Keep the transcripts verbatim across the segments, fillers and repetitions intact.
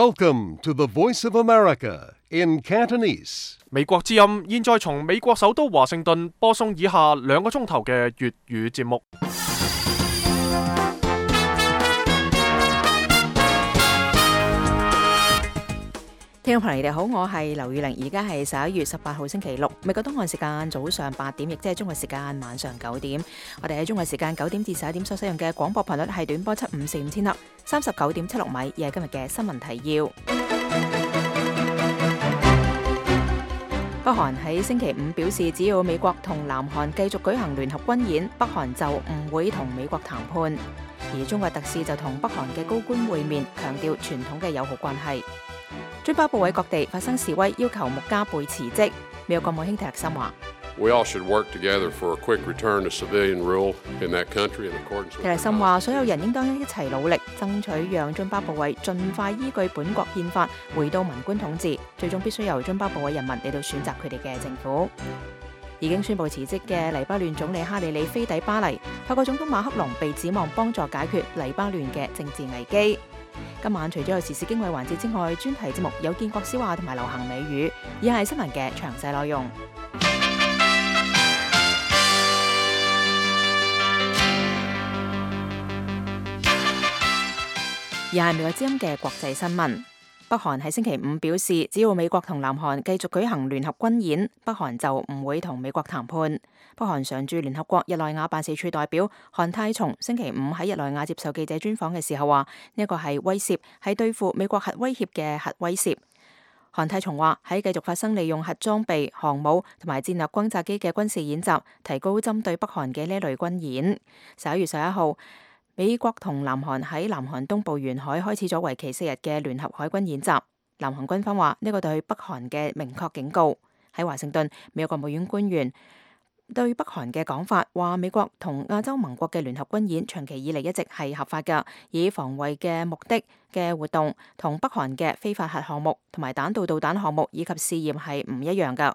Welcome to the Voice of America in Cantonese. 美國之音現在從美國首都華盛頓播送以下兩個鐘頭嘅粵語節目。聽眾朋友，你哋好，我係劉宇玲，而家係十一月十八號星期六，美國東岸時間早上八點，亦即係中國時間晚上九點。我哋喺中國時間九點至十一點所使用嘅廣播頻率係短波七五四五千赫，三十九點七六米，而係今日嘅新聞提要。北韓喺星期五表示，只要美國同南韓繼續舉行聯合軍演，北韓就唔會同美國談判。而中國特使就同北韓嘅高官會面，強調傳統嘅友好關係。津巴布韋各地發生示威，要求穆加貝辭職。美國國務卿提勒森話：提勒森話，所有人應當一齊努力，爭取讓津巴布韋盡快依據本國憲法回到民官統治，最終必須由津巴布韋人民嚟到選擇佢哋嘅政府。已經宣布辭職嘅黎巴嫩總理哈里里飛抵巴黎，法國總統馬克龍被指望幫助解決黎巴嫩嘅政治危機。今晚除咗有時事經緯環節之外，專題節目有建國笑話同埋流行美語，以下係新聞嘅詳細內容。以下係美國之音嘅國際新聞。北韓喺星期五表示，只要美國同南韓繼續舉行聯合軍演，北韓就唔會同美國談判。北韓常駐聯合國日內瓦辦事處代表韓泰松星期五喺日內瓦接受記者專訪嘅時候話：呢一個係威懾，係對付美國核威脅嘅核威懾。韓泰松話：喺繼續發生利用核裝備、航母同埋戰略轟炸機嘅軍事演習，提高針對北韓嘅呢類軍演。十一月十一號，美國同南韓喺南韓東部沿海開始咗為期四日嘅聯合海軍演習。南韓軍方話呢個對北韓嘅明確警告。喺華盛頓，美國國務院官員對北韓嘅講法話，美國同亞洲盟國嘅聯合軍演長期以嚟一直係合法嘅，以防衛嘅目的嘅活動同北韓嘅非法核項目同埋彈道導彈項目以及試驗係唔一樣㗎。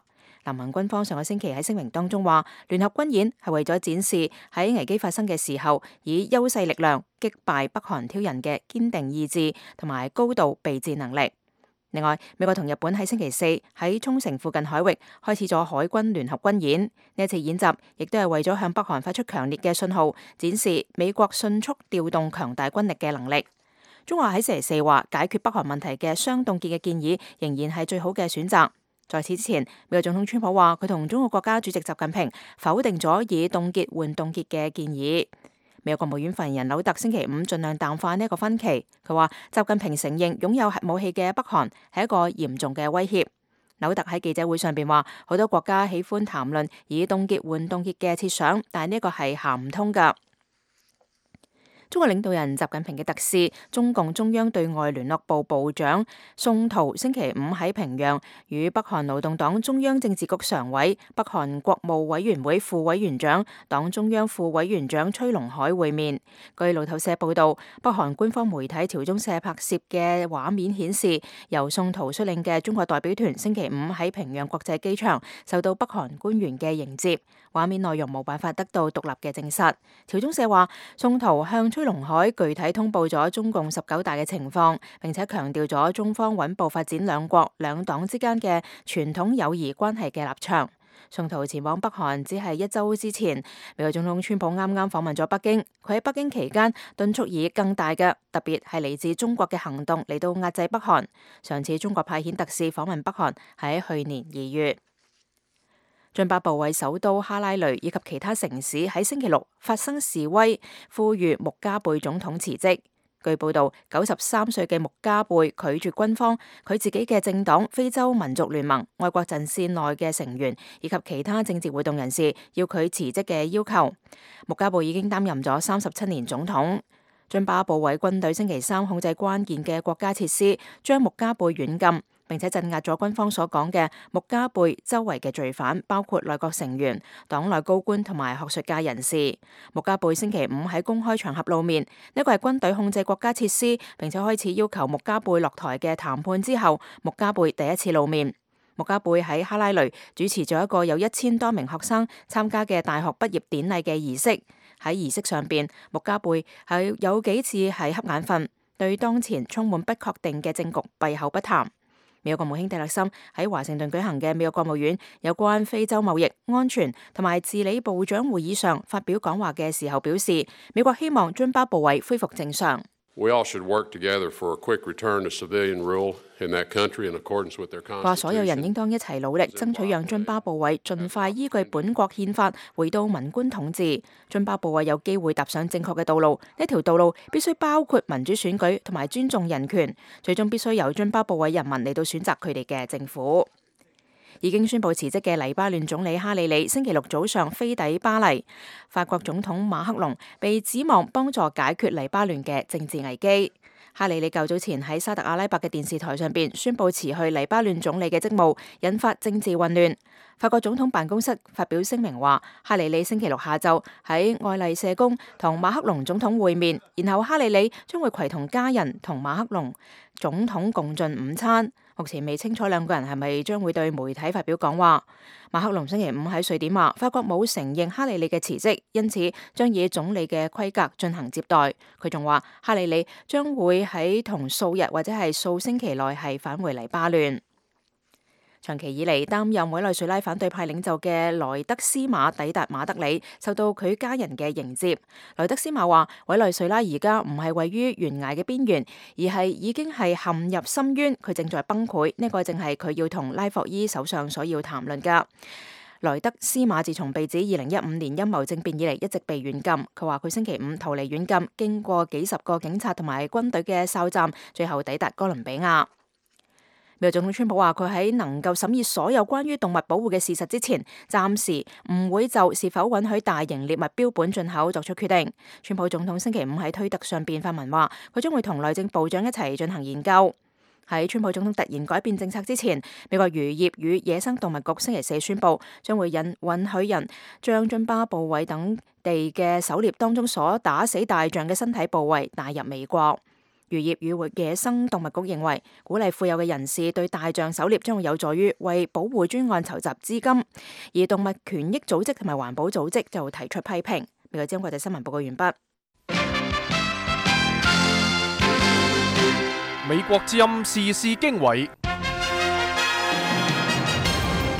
南韓軍方上個星期喺聲明當中話，聯合軍演係為咗展示喺危機發生嘅時候，以優勢力量擊敗北韓挑釁嘅堅定意志同埋高度備戰能力。另外，美國同日本喺星期四喺沖繩附近海域開始咗海軍聯合軍演。呢一次演習亦都係為咗向北韓發出強烈嘅信號，展示美國迅速調動強大軍力嘅能力。中華喺星期四話，解決北韓問題嘅雙凍結嘅建議仍然係最好嘅選擇。在此之前，美國總統川普話佢同中國國家主席習近平否定咗以凍結換凍結嘅建議。美國國務院發言人柳特星期五盡量淡化呢一個分歧。佢話習近平承認擁有核武器嘅北韓係一個嚴重嘅威脅。柳特喺記者會上邊話，好多國家喜歡談論以凍結換凍結嘅設想，但係呢個係行唔通㗎。中國領導人習近平嘅特使、中共中央對外聯絡部部長宋濤星期五喺平壤與北韓勞動黨中央政治局常委、北韓國務委員會副委員長、黨中央副委員長崔龍海會面。據路透社報道，北韓官方媒體朝中社拍攝嘅畫面顯示，由宋濤率領嘅中國代表團星期五喺平壤國際機場受到北韓官員嘅迎接。畫面內容冇辦法得到獨立嘅證實。朝中社話，宋濤向崔龍海具體通報咗中共十九大嘅情況，並且強調咗中方穩步發展兩國兩黨之間嘅傳統友誼關係嘅立場。宋濤前往北韓只係一周之前，美國總統川普啱啱訪問咗北京。佢喺北京期間敦促以更大嘅，特別係嚟自中國嘅行動嚟到壓制北韓。上次中國派遣特使訪問北韓係喺去年二月。津巴布韋首都哈拉雷以及其他城市喺星期六發生示威，呼籲穆加貝總統辭職。據報道，九十三歲嘅穆加貝拒絕軍方、佢自己嘅政黨非洲民族聯盟、外國陣線內嘅成員以及其他政治活動人士要佢辭職嘅要求。穆加貝已經擔任咗三十七年總統。津巴布韋軍隊星期三控制關鍵嘅國家設施，將穆加貝軟禁，並且鎮壓咗軍方所講嘅穆加貝周圍嘅罪犯，包括內閣成員、黨內高官同埋學術界人士。穆加貝星期五喺公開場合露面，呢個係軍隊控制國家設施，並且開始要求穆加貝落台嘅談判之後，穆加貝第一次露面。穆加貝喺哈拉雷主持咗一個有一千多名學生參加嘅大學畢業典禮嘅儀式。喺儀式上邊，穆加貝係有幾次係瞌眼瞓。對當前充滿不確定嘅政局閉口不談。美國國務卿蒂勒森喺華盛頓舉行嘅美國國務院有關非洲貿易、安全同埋治理部長會議上發表講話嘅時候表示，美國希望津巴布韋恢復正常。We all should work together for a quick return to civilian rule in that country in accordance with their constitution. 話所有人應當一齊努力，爭取讓津巴布韋盡快依據本國憲法回到文官統治。津巴布韋有機會踏上正確嘅道路，呢條道路必須包括民主選舉同埋尊重人權，最終必須由津巴布韋人民嚟到選擇佢哋嘅政府。已經宣布辭職嘅黎巴嫩總理哈里里星期六早上飛抵巴黎。法國總統馬克龍被指望幫助解決黎巴嫩嘅政治危機。哈里里較早前喺沙特阿拉伯嘅電視台上邊宣布辭去黎巴嫩總理嘅職務，引發政治混亂。法國總統辦公室發表聲明話，哈里里星期六下晝喺愛麗舍宮同馬克龍總統會面，然後哈里里將會攜同家人同馬克龍總統共進午餐。目前未清楚兩個人係咪將會對媒體發表講話。馬克龍星期五喺瑞典話，法國冇承認哈里里嘅辭職，因此將以總理嘅規格進行接待。佢仲話，哈里里將會喺同數日或者係數星期內係返回黎巴嫩。長期以嚟擔任委內瑞拉反對派領袖嘅萊德斯馬抵達馬德里，受到佢家人嘅迎接。萊德斯馬話，委內瑞拉而家唔係位於懸崖嘅邊緣，而係已經係陷入深淵，佢正在崩潰。呢、這個正係佢要同拉霍伊首相所要談論噶。萊德斯馬自從被指二零一五年陰謀政變以嚟，一直被軟禁。佢話佢星期五逃離軟禁，經過幾十個警察同埋軍隊嘅哨站，最後抵達哥倫比亞。美國總統川普話，佢喺能夠審議所有關於動物保護嘅事實之前，暫時唔會就是否允許大型獵物標本進口作出決定。川普總統星期五喺推特上邊發文話，佢將會同內政部長一齊進行研究。喺川普總統突然改變政策之前，美國漁業與野生動物局星期四宣布，將會引允許人將津巴布韋等地嘅狩獵當中所打死大象嘅身體部位帶入美國。漁業與野生動物局認為，鼓勵富有嘅人士對大象狩獵將會有助於為保護專案籌集資金，而動物權益組織同埋環保組織就提出批評。美國之音國際新聞報告完畢。美國之音時事經緯，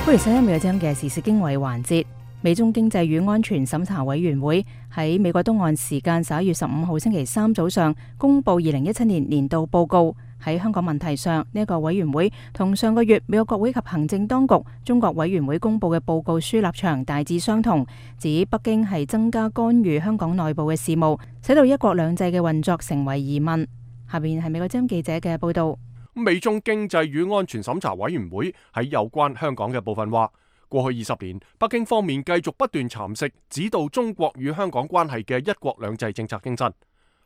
歡迎收聽美國之音嘅時事經緯環節。美中經濟與安全審查委員會喺美國東岸時間十一月十五號星期三早上公布二零一七年年度報告。喺香港問題上，呢、這、一個委員會同上個月美國國會及行政當局中國委員會公布嘅報告書立場大致相同，指北京係增加干預香港內部嘅事務，使到一國兩制嘅運作成為疑問。下邊係美國之音記者嘅報道。美中經濟與安全審查委員會喺有關香港嘅部分話，過去二十年，北京方面繼續不斷蠶食指導中國與香港關係嘅一國兩制政策精神。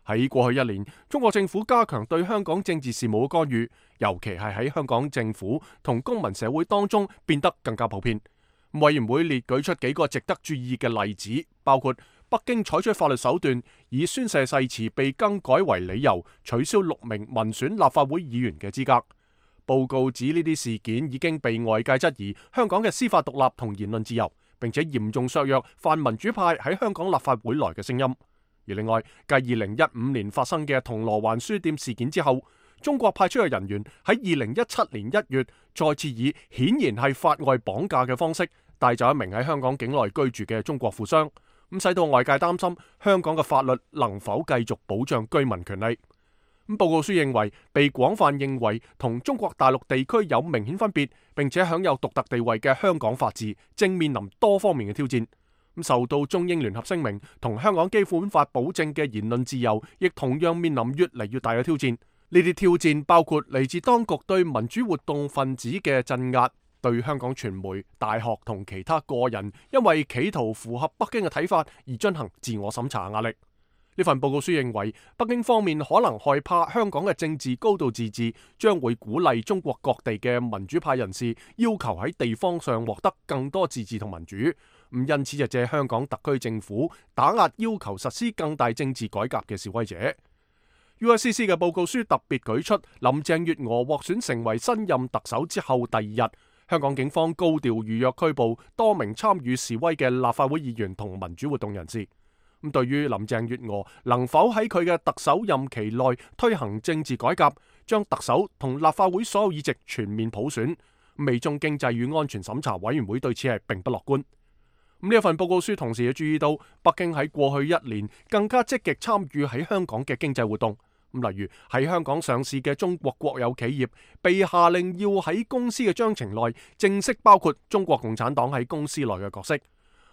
喺過去一年，中國政府加強對香港政治事務嘅干預，尤其係喺香港政府同公民社會當中變得更加普遍。委員會列舉出幾個值得注意嘅例子，包括北京採取法律手段，以宣誓誓詞被更改為理由，取消六名民選立法會議員嘅資格。報告指呢啲事件已經被外界質疑香港嘅司法獨立同言論自由，並且嚴重削弱泛民主派喺香港立法會內嘅聲音。而另外，繼二零一五年發生嘅銅鑼灣書店事件之後，中國派出嘅人員喺二零一七年一月再次以顯然係法外綁架嘅方式帶走一名喺香港境內居住嘅中國富商，咁使到外界擔心香港嘅法律能否繼續保障居民權利。咁報告書認為，被廣泛認為同中國大陸地區有明顯分別，並且享有獨特地位嘅香港法治，正面臨多方面嘅挑戰。咁受到中英聯合聲明同香港基本法保證嘅言論自由，亦同樣面臨越嚟越大嘅挑戰。呢啲挑戰包括嚟自當局對民主活動分子嘅鎮壓，對香港傳媒、大學同其他個人因為企圖符合北京嘅睇法而進行自我審查壓力。呢份報告書認為，北京方面可能害怕香港嘅政治高度自治將會鼓勵中國各地嘅民主派人士要求喺地方上獲得更多自治同民主，咁因此就借香港特區政府打壓要求實施更大政治改革嘅示威者。U S C C 嘅報告書特別舉出，林鄭月娥獲選成為新任特首之後第二日，香港警方高調預約拘捕多名參與示威嘅立法會議員同民主活動人士。咁對於林鄭月娥能否喺佢嘅特首任期內推行政治改革，將特首同立法會所有議席全面普選，美中經濟與安全審查委員會對此係並不樂觀。咁呢一份報告書同時亦注意到，北京喺過去一年更加積極參與喺香港嘅經濟活動。咁例如喺香港上市嘅中國國有企業被下令要喺公司嘅章程內正式包括中國共產黨喺公司內嘅角色。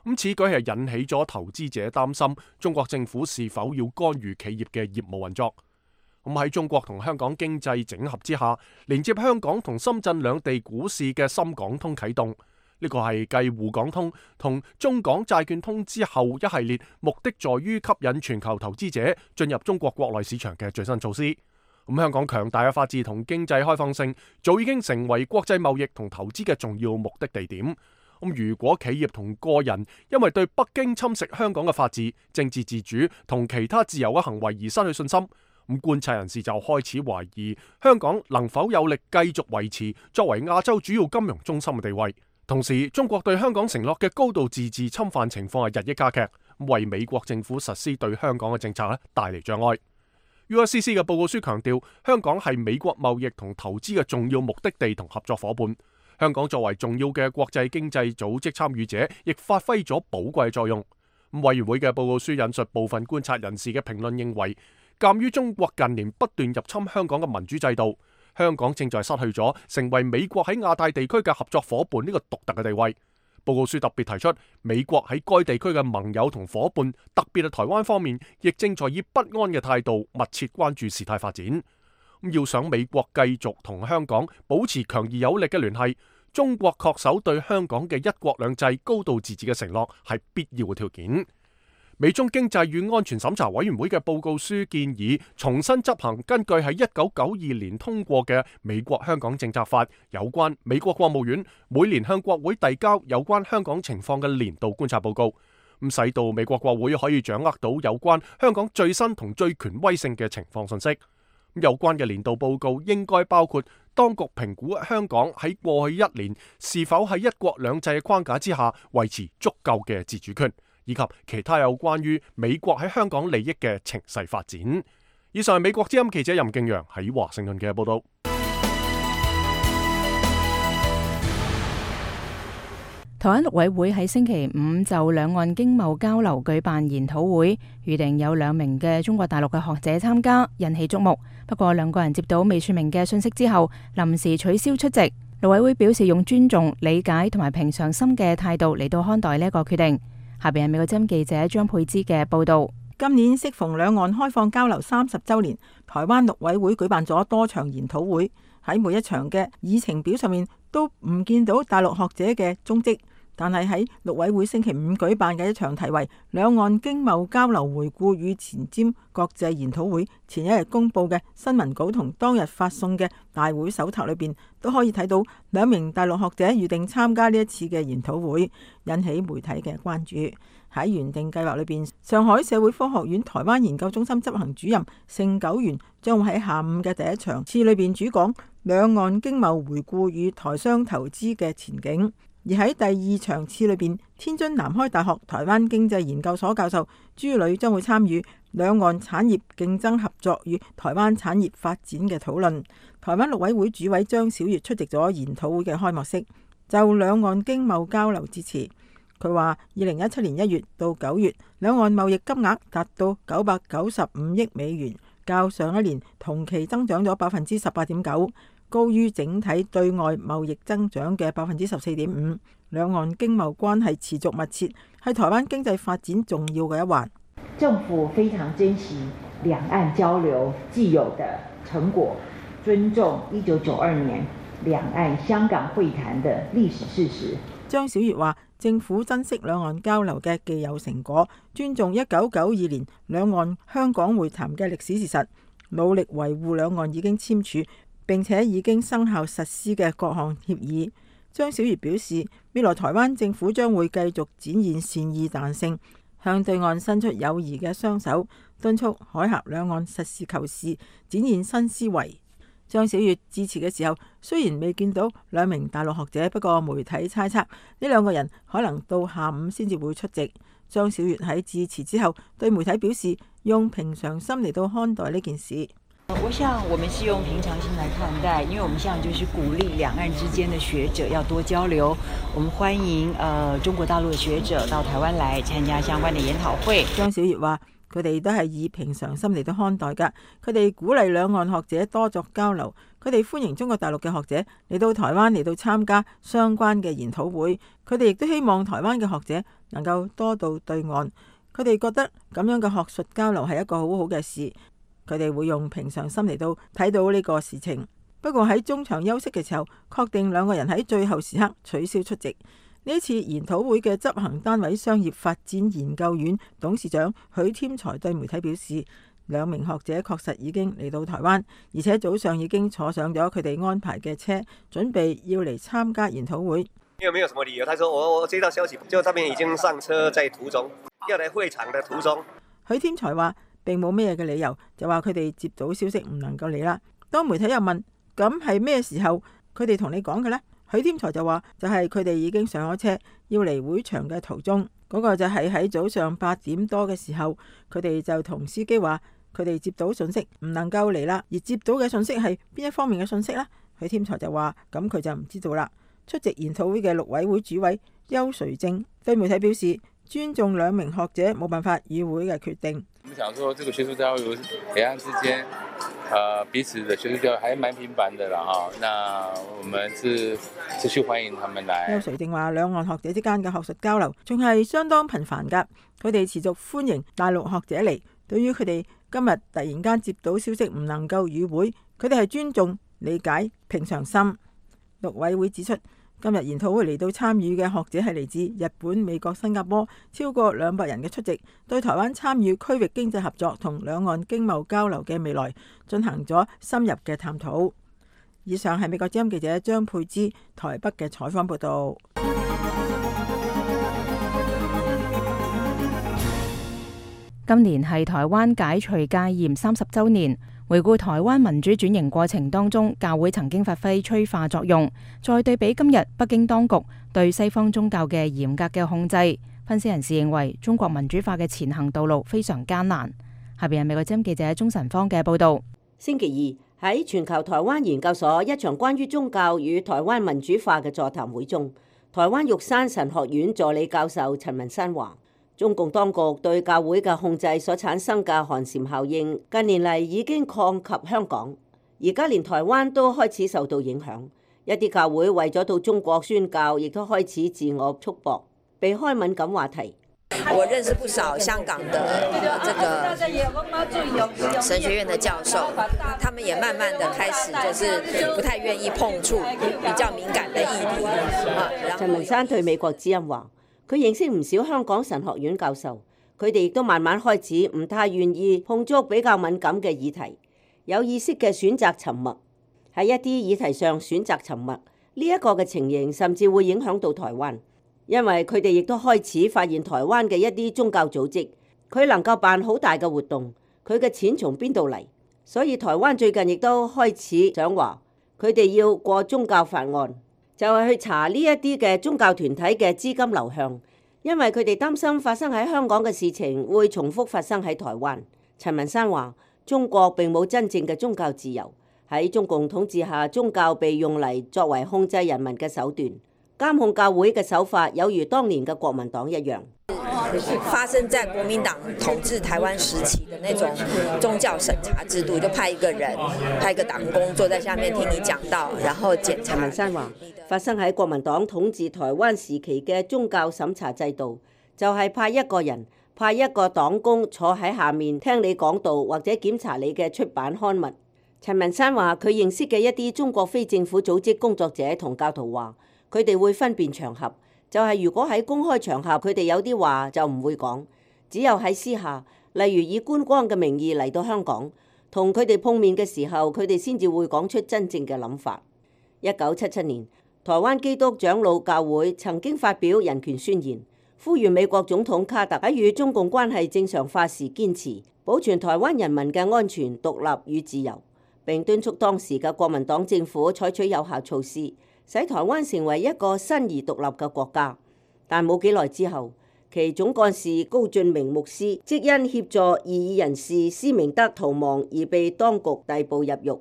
咁此舉係引起咗投資者擔心中國政府是否要干預企業嘅業務運作。咁喺中國同香港經濟整合之下，連接香港同深圳兩地股市嘅深港通啟動。呢個係繼滬港通同中港債券通之後一系列目的在於吸引全球投資者進入中國國內市場嘅最新措施。咁香港強大嘅法治同經濟開放性早已經成為國際貿易同投資嘅重要目的地點。咁如果企業同個人因為對北京侵蝕香港嘅法治、政治自主同其他自由嘅行為而失去信心，咁觀察人士就開始懷疑香港能否有力繼續維持作為亞洲主要金融中心嘅地位。同時，中國對香港承諾嘅高度自治侵犯情況係日益加劇，為美國政府實施對香港嘅政策咧帶嚟障礙。U S C C 嘅報告書強調，香港係美國貿易同投資嘅重要目的地同合作夥伴。香港作為重要嘅國際經濟組織參與者，亦發揮咗寶貴作用。委員會嘅報告書引述部分觀察人士嘅評論，認為鑑於中國近年不斷入侵香港嘅民主制度，香港正在失去咗成為美國喺亞太地區嘅合作夥伴呢個獨特嘅地位。報告書特別提出，美國喺該地區嘅盟友同夥伴，特別係台灣方面，亦正在以不安嘅態度密切關注事態發展。要想美國繼續同香港保持強而有力嘅聯繫，中國恪守對香港嘅一國兩制、高度自治嘅承諾係必要嘅條件。美中經濟與安全審查委員會嘅報告書建議重新執行根據喺一九九二年通過嘅美國香港政策法有關美國國務院每年向國會遞交有關香港情況嘅年度觀察報告，咁使到美國國會可以掌握到有關香港最新同最權威性嘅情況信息。有關嘅年度報告應該包括當局評估香港喺過去一年是否喺一國兩制嘅框架之下維持足夠嘅自主權，以及其他有關於美國喺香港利益嘅情勢發展。以上係美國之音記者任敬陽喺華盛頓嘅報道。台灣陸委會喺星期五就兩岸經貿交流舉辦研討會，預定有兩名嘅中國大陸嘅學者參加，引起矚目。不過兩個人接到未說明嘅信息之後，臨時取消出席。陸委會表示用尊重、理解同埋平常心嘅態度嚟到看待呢一個決定。下邊係美國之音記者張佩芝嘅報道。今年適逢兩岸開放交流三十週年，台灣陸委會舉辦咗多場研討會，喺每一場嘅議程表上面都唔見到大陸學者嘅蹤跡。但係喺陸委會星期五舉辦嘅一場題為《兩岸經貿交流回顧與前瞻國際研討會》前一日公佈嘅新聞稿同當日發送嘅大會手冊裏邊，都可以睇到兩名大陸學者預定參加呢一次嘅研討會，引起媒體嘅關注。喺原定計劃裏邊，上海社會科學院台灣研究中心執行主任盛九元將會喺下午嘅第一場次裏邊主講兩岸經貿回顧與台商投資嘅前景。而喺第二場次裏邊，天津南開大學台灣經濟研究所教授朱磊將會參與兩岸產業競爭合作與台灣產業發展嘅討論。台灣陸委會主委張曉月出席咗研討會嘅開幕式，就兩岸經貿交流致辭。佢話：二零一七年一月到九月，兩岸貿易金額達到九百九十五億美元，較上一年同期增長咗百分之十八點九。高於整體對外貿易增長嘅百分之十四點五，兩岸經貿關係持續密切，係台灣經濟發展重要嘅一環。政府非常珍惜兩岸交流既有的成果，尊重一九九二年兩岸香港會談的歷史事實。張曉月話：政府珍惜兩岸交流嘅既有成果，尊重一九九二年兩岸香港會談嘅歷史事實，努力維護兩岸已經簽署並且已經生效實施嘅各項協議。張曉月表示，未來台灣政府將會繼續展現善意彈性，向對岸伸出友誼嘅雙手，敦促海峽兩岸實事求是，展現新思維。張曉月致辭嘅時候，雖然未見到兩名大陸學者，不過媒體猜測呢兩個人可能到下午先至會出席。張小月喺致辭之後對媒體表示，用平常心嚟到看待呢件事。我想我們是用平常心來看待，因為我們現在就是鼓勵兩岸之間的學者要多交流。我們歡迎呃中國大陸的學者到台灣來參加相關的研討會。張小月話：佢哋都係以平常心嚟到看待㗎。佢哋鼓勵兩岸學者多作交流，佢哋歡迎中國大陸嘅學者嚟到台灣嚟到參加相關嘅研討會。佢哋亦都希望台灣嘅學者能夠多到對岸。佢哋覺得咁樣嘅學術交流係一個好好嘅事。佢哋會用平常心嚟到睇到呢個事情。不過喺中場休息嘅時候，確定兩個人喺最後時刻取消出席。呢一次研討會嘅執行單位商業發展研究院董事長許添財對媒體表示，兩名學者確實已經嚟到台灣，而且早上已經坐上咗佢哋安排嘅車，準備要嚟參加研討會。因為沒有什麼理由，他說我我接到消息，就這邊已經上車，在途中，要嚟會場的途中。許添財話並冇咩嘅理由，就話佢哋接到消息唔能夠嚟啦。當媒體又問咁係咩時候佢哋同你講嘅呢？許添財就話就係佢哋已經上咗車，要嚟會場嘅途中。嗰、那個就係喺早上八點多嘅時候，佢哋就同司機話佢哋接到信息唔能夠嚟啦。而接到嘅信息係邊一方面嘅信息呢？許添財就話咁佢就唔知道啦。出席研討會嘅陸委會主委邱垂正對媒體表示，尊重兩名學者冇辦法與會嘅決定。我們想說，這個學術交流兩岸之間，呃，彼此的學術交流還蠻頻繁的啦，哈。那我們是持續歡迎他們來。邱垂正話，兩岸學者之間嘅學術交流仲係相當頻繁噶，佢哋持續歡迎大陸學者嚟。對於佢哋今日突然間接到消息唔能夠與會，佢哋係尊重、理解、平常心。陸委會指出，今日研討會嚟到參與嘅學者係嚟自日本、美國、新加坡，超過兩百人嘅出席，對台灣參與區域經濟合作同兩岸經貿交流嘅未來進行咗深入嘅探討。以上係美國之音記者張佩芝台北嘅採訪報道。今年係台灣解除戒嚴三十週年。回顧台灣民主轉型過程當中，教會曾經發揮催化作用。再對比今日北京當局對西方宗教嘅嚴格嘅控制，分析人士認為中國民主化嘅前行道路非常艱難。下邊係美國之音記者鍾晨芳嘅報道。星期二喺全球台灣研究所一場關於宗教與台灣民主化嘅座談會中，台灣玉山神學院助理教授陳文山話，中共當局對教會嘅控制所產生嘅寒蟬效應，近年嚟已經擴及香港，而家連台灣都開始受到影響。一啲教會為咗到中國宣教，亦都開始自我束縛，避開敏感話題。我認識不少香港的這個神學院的教授，他們也慢慢的開始就是不太願意碰觸比較敏感的議題。陳文山對美國之音話，佢認識唔少香港神學院教授，佢哋亦都慢慢開始唔太願意碰觸比較敏感嘅議題，有意識嘅選擇沉默。喺一啲議題上選擇沉默，呢一個嘅情形甚至會影響到台灣，因為佢哋亦都開始發現台灣嘅一啲宗教組織，佢能夠辦好大嘅活動，佢嘅錢從邊度嚟？所以台灣最近亦都開始想話，佢哋要過宗教法案。就係去查呢一啲嘅宗教團體嘅資金流向，因為佢哋擔心發生喺香港嘅事情會重複發生喺台灣。陳文山話：中國並冇真正嘅宗教自由，喺中共統治下，宗教被用嚟作為控制人民嘅手段，監控教會嘅手法有如當年嘅國民黨一樣。發生在國民黨統治台灣時期的那種宗教審查制度，就派一個人，派一個黨工坐在下面聽你講道，然後檢查。陳文山話：發生喺國民黨統治台灣時期嘅宗教審查制度，就係派一個人，派一個黨工坐喺下面聽你講道，或者檢查你嘅出版刊物。陳文山話：佢認識嘅一啲中國非政府組織工作者同教徒話，佢哋會分辨場合。就係如果喺公開場合，佢哋有啲話就唔會講，只有喺私下，例如以觀光嘅名義嚟到香港，同佢哋碰面嘅時候，佢哋先至會講出真正嘅諗法。一九七七年，台灣基督長老教會曾經發表人權宣言，呼籲美國總統卡特喺與中共關係正常化時堅持保存台灣人民嘅安全、獨立與自由，並敦促當時嘅國民黨政府採取有效措施，使台灣成為一個新而獨立嘅國家。但冇幾耐之後，其總幹事高俊明牧師即因協助異議人士施明德逃亡而被當局逮捕入獄。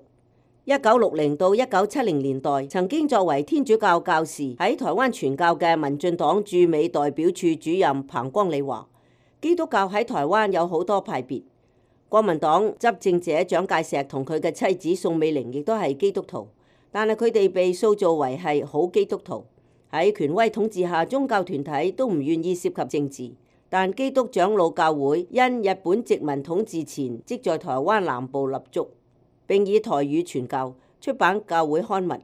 一九六零到一九七零年代，曾經作為天主教教士喺台灣傳教嘅民進黨駐美代表處主任彭光利話：基督教喺台灣有好多派別，國民黨執政者蔣介石同佢嘅妻子宋美齡亦都係基督徒，但係佢哋被塑造為係好基督徒。喺權威統治下，宗教團體都唔願意涉及政治，但基督長老教會因日本殖民統治前即在台灣南部立足，並以台語傳教，出版教會刊物，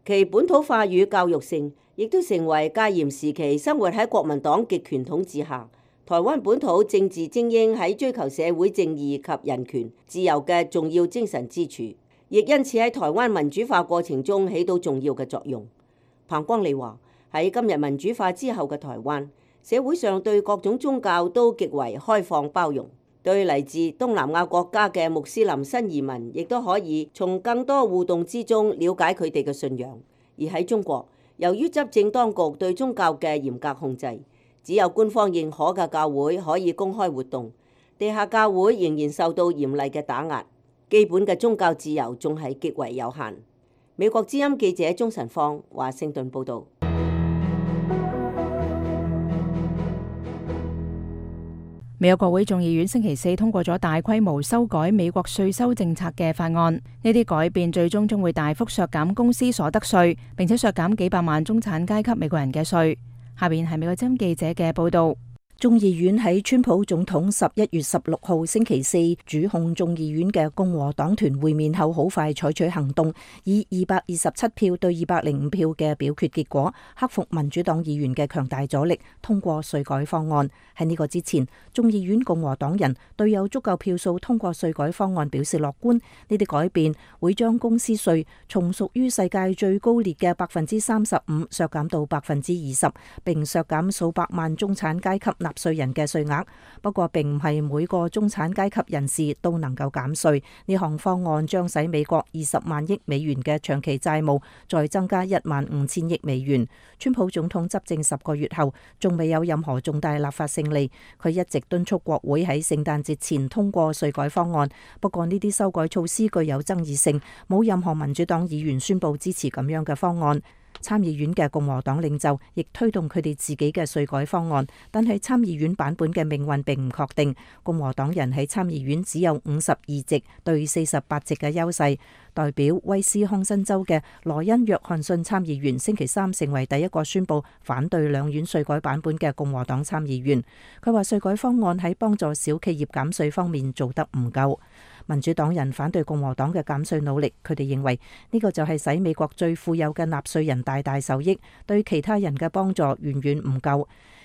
其本土化與教育性亦都成為戒嚴時期生活喺國民黨極權統治下，台灣本土政治精英喺追求社會正義及人權自由嘅重要精神支柱，亦因此喺台灣民主化過程中起到重要嘅作用。彭光利話：喺今日民主化之後嘅台灣，社會上對各種宗教都極為開放包容，對嚟自東南亞國家嘅穆斯林新移民，亦都可以從更多互動之中了解佢哋嘅信仰。而喺中國，由於執政當局對宗教嘅嚴格控制，只有官方認可嘅教會可以公開活動，地下教會仍然受到嚴厲嘅打壓，基本嘅宗教自由仲係極為有限。美國之音記者鍾晨芳華盛頓報導。美國國會眾議院星期四通過咗大規模修改美國稅收政策嘅法案，呢啲改變最終將會大幅削減公司所得稅，並且削減幾百萬中產階級美國人嘅稅。下邊係美國之音記者嘅報導。眾議院喺川普總統十一月十六號星期四主控眾議院嘅共和黨團會面後，好快採取行動，以二百二十七票對二百零五票嘅表決結果，克服民主黨議員嘅強大阻力，通過稅改方案。喺呢個之前，眾議院共和黨人對有足夠票數通過稅改方案表示樂觀。呢啲改變會將公司稅從屬於世界最高列嘅百分之三十五削減到百分之二十，並削減數百萬中產階級納稅人嘅稅額。不過並唔係每個中產階級人士都能夠減稅。呢項方案將使美國二十萬億美元嘅長期債務再增加一萬五千億美元。川普總統執政十個月後，仲未有任何重大立法勝利。佢一直敦促國會喺聖誕節前通過稅改方案。不過呢啲修改措施具有爭議性，冇任何民主黨議員宣布支持咁樣嘅方案。參議院嘅共和黨領袖亦推動佢哋自己嘅稅改方案，但係參議院版本嘅命運並唔確定。共和黨人喺參議院只有五十二席對四十八席嘅優勢。代表威斯康辛州嘅羅恩約翰遜參議員星期三成為第一個宣布反對兩院稅改版本嘅共和黨參議員。佢話稅改方案喺幫助小企業減稅方面做得唔夠。民主黨人反對共和黨嘅減稅努力，佢哋認為呢個就係使美國最富有嘅納稅人大大受益，對其他人嘅幫助遠遠唔夠。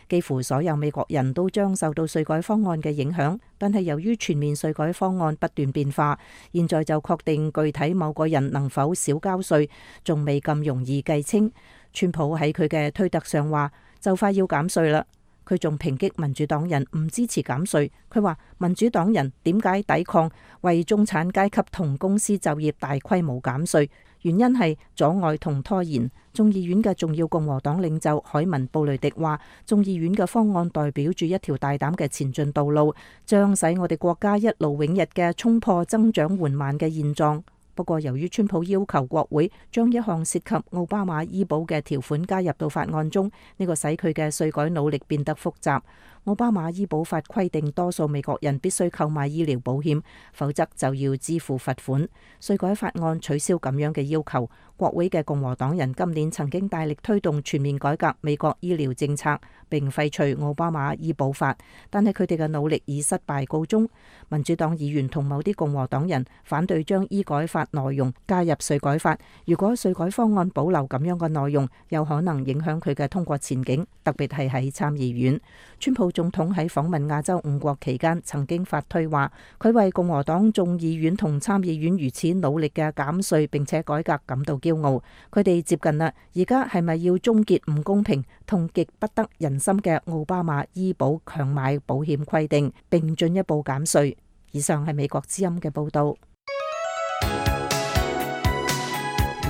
幾乎所有美國人都將受到稅改方案嘅影響，但係由於全面稅改方案不斷變化，現在就確定具體某個人能否少交稅，仲未咁容易計清。川普喺佢嘅推特上話就快要減稅啦。佢仲抨擊民主黨人唔支持減稅。佢話民主黨人點解抵抗為中產階級同公司就業大規模減稅？原因係阻礙同拖延。眾議院嘅重要共和黨領袖海文布雷迪話，眾議院嘅方案代表住一條大膽嘅前進道路，將使我哋國家一勞永逸嘅衝破增長緩慢嘅現狀。不過由於川普要求國會將一項涉及奧巴馬醫保嘅條款加入到法案中，呢個使佢嘅稅改努力變得複雜。奧巴馬醫保法規定多數美國人必須購買醫療保險，否則就要支付罰款。稅改法案取消咁樣嘅要求。國會嘅共和黨人今年曾經大力推動全面改革美國醫療政策，並廢除奧巴馬醫保法，但係佢哋嘅努力以失敗告終。民主黨議員同某啲共和黨人反對將醫改法內容加入稅改法。如果稅改方案保留咁樣嘅內容，有可能影響佢嘅通過前景，特別係喺參議院。川普總統喺訪問亞洲五國期間曾經發推話，佢為共和黨眾議院同參議院如此努力嘅減稅並且改革感到驕傲。佢哋接近啦，而家係咪要終結唔公平同極不得人心嘅奧巴馬醫保強買保險規定，並進一步減稅？以上係美國之音嘅報道。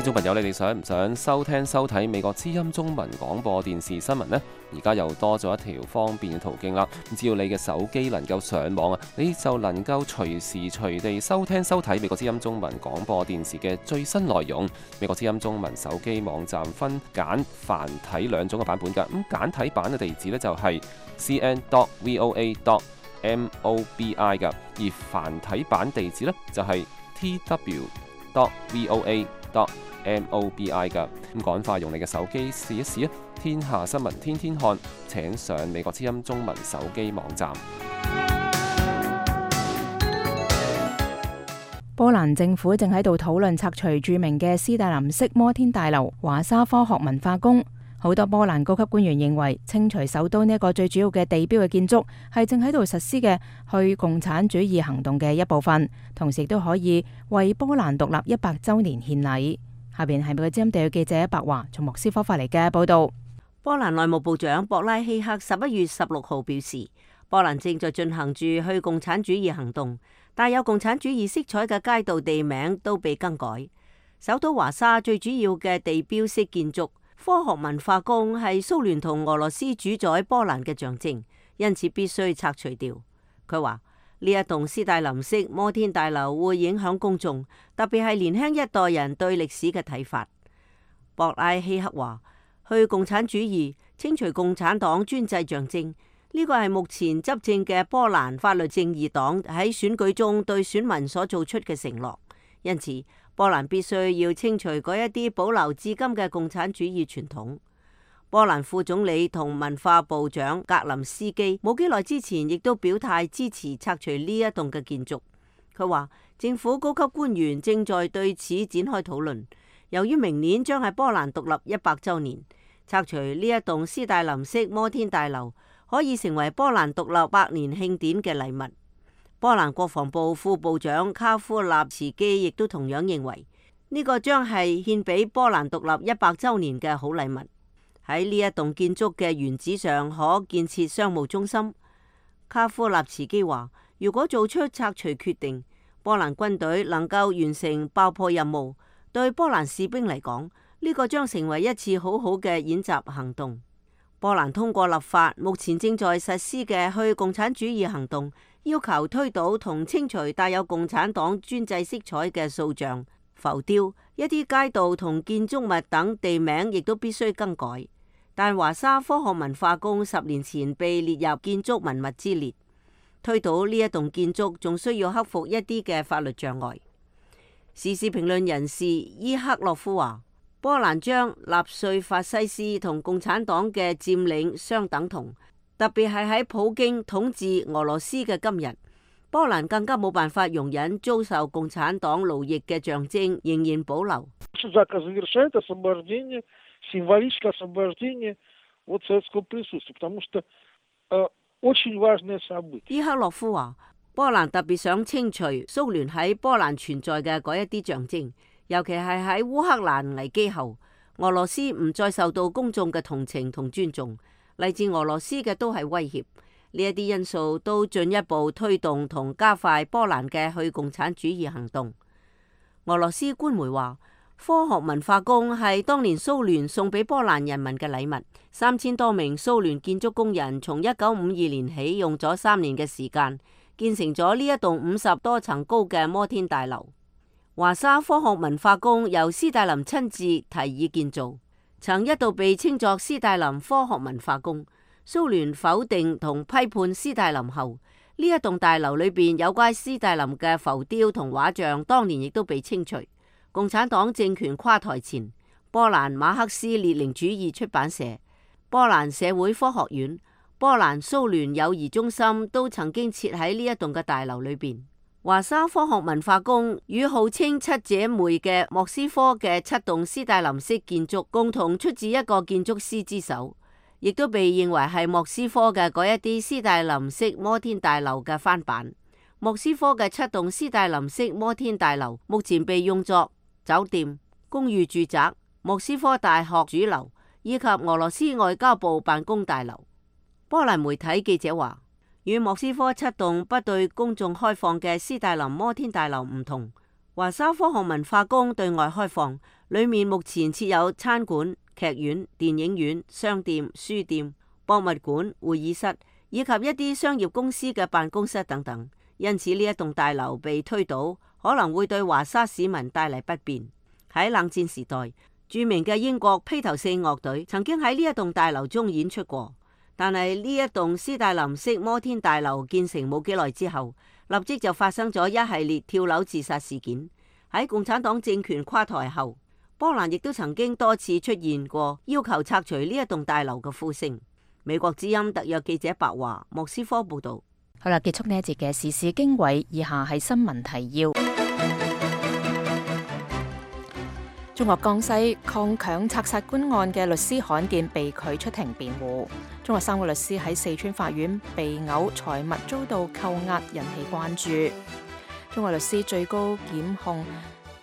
聽眾朋友，你哋想唔想收聽收睇美國之音中文廣播電視新聞呢？而家又多咗一條方便嘅途徑啦。只要你嘅手機能夠上網啊，你就能夠隨時隨地收聽收睇美國之音中文廣播電視嘅最新內容。美國之音中文手機網站分簡繁體兩種嘅版本㗎。咁簡體版嘅地址呢，就係 c n dot v o a dot m o b i 㗎，而繁體版地址呢，就係 t w dot v o a dot m o b i 㗎。咁趕快用你嘅手機試一試啊！天下新聞天天看，請上美國之音中文手機網站。波蘭政府正喺度討論拆除著名嘅斯大林式摩天大樓華沙科學文化宮。好多波蘭高級官員認為，清除首都呢一個最主要嘅地標嘅建築，係正喺度實施嘅去共產主義行動嘅一部分，同時亦都可以為波蘭獨立一百週年獻禮。下邊係美國之音地記者白華從莫斯科發嚟嘅報道。波蘭內務部長博拉希克十一月十六號表示，波蘭正在進行住去共產主義行動，帶有共產主義色彩嘅街道地名都被更改。首都華沙最主要嘅地標式建築科學文化宮係蘇聯同俄羅斯主宰波蘭嘅象徵，因此必須拆除掉。佢話呢一棟斯大林式摩天大樓會影響公眾，特別係年輕一代人對歷史嘅睇法。博拉希克話，去共產主義，清除共產黨專制象徵，呢個係目前執政嘅波蘭法律正義黨喺選舉中對選民所做出嘅承諾。因此波蘭必須要清除嗰一啲保留至今嘅共產主義傳統。波蘭副總理同文化部長格林斯基冇幾耐之前亦都表態支持拆除呢一棟嘅建築。佢話政府高級官員正在對此展開討論。由於明年將係波蘭獨立一百週年，拆除呢一棟斯大林式摩天大樓可以成為波蘭獨立百年慶典嘅禮物。波蘭國防部副部長卡夫納茨基亦都同樣認為呢個將係獻俾波蘭獨立一百週年嘅好禮物。喺呢一棟建築嘅原址上可建設商務中心。卡夫納茨基話，如果做出拆除決定，波蘭軍隊能夠完成爆破任務，對波蘭士兵嚟講，呢個將成為一次好好嘅演習行動。波蘭通過立法，目前正在實施嘅去共產主義行動，要求推倒同清除帶有共產黨專制色彩嘅塑像、浮雕，一啲街道同建築物等地名亦都必須更改。但華沙科學文化宮十年前被列入建築文物之列，推倒呢一棟建築仲需要克服一啲嘅法律障礙。時事評論人士伊克洛夫話，波蘭將納粹法西斯同共產黨嘅佔領相等同，特別係喺普京統治俄羅斯嘅今日，波蘭更加冇辦法容忍遭受共產黨奴役嘅象徵仍然保留。伊克洛夫話，波蘭特別想清除蘇聯喺波蘭存在嘅嗰一啲象徵，尤其係喺烏克蘭危機後，俄羅斯唔再受到公眾嘅同情同尊重，嚟自俄羅斯嘅都係威脅。呢一啲因素都進一步推動同加快波蘭嘅去共產主義行動。俄羅斯官媒話，科學文化宮係當年蘇聯送俾波蘭人民嘅禮物，三千多名蘇聯建築工人從一九五二年起用咗三年嘅時間，建成咗呢一棟五十多層高嘅摩天大樓。華沙科學文化宮由斯大林親自提議建造，曾一度被稱作斯大林科學文化宮。蘇聯否定同批判斯大林後，呢一棟大樓裏邊有關斯大林嘅浮雕同畫像，當年亦都被清除。共產黨政權垮台前，波蘭馬克思列寧主義出版社、波蘭社會科學院、波蘭蘇聯友誼中心都曾經設喺呢一棟嘅大樓裏邊。華沙科學文化宮與號稱七姐妹嘅莫斯科嘅七棟斯大林式建築共同出自一個建築師之手，亦都被認為係莫斯科嘅嗰一啲斯大林式摩天大樓嘅翻版。莫斯科嘅七棟斯大林式摩天大樓目前被用作酒店、公寓住宅、莫斯科大學主樓以及俄羅斯外交部辦公大樓。波蘭媒體記者話，與莫斯科七棟不對公眾開放嘅斯大林摩天大樓唔同，華沙科學文化宮對外開放，裡面目前設有餐館、劇院、電影院、商店、書店、博物館、會議室以及一啲商業公司嘅辦公室等等。因此呢一棟大樓被推倒，可能會對華沙市民帶嚟不便。喺冷戰時代，著名嘅英國披頭四樂隊曾經喺呢一棟大樓中演出過。但係呢一棟斯大林式摩天大樓建成冇幾耐之後，立即就發生咗一系列跳樓自殺事件。喺共產黨政權垮台後，波蘭亦都曾經多次出現過要求拆除呢一棟大樓嘅呼聲。美國之音特約記者白華莫斯科報道。好啦，結束呢一節嘅時事經緯，以下係新聞提要。中國江西抗強拆殺官案嘅律師罕見被拒出庭辯護。中國三個律師喺四川法院被毆，財物遭到扣押，引起關注。中國律師最高檢控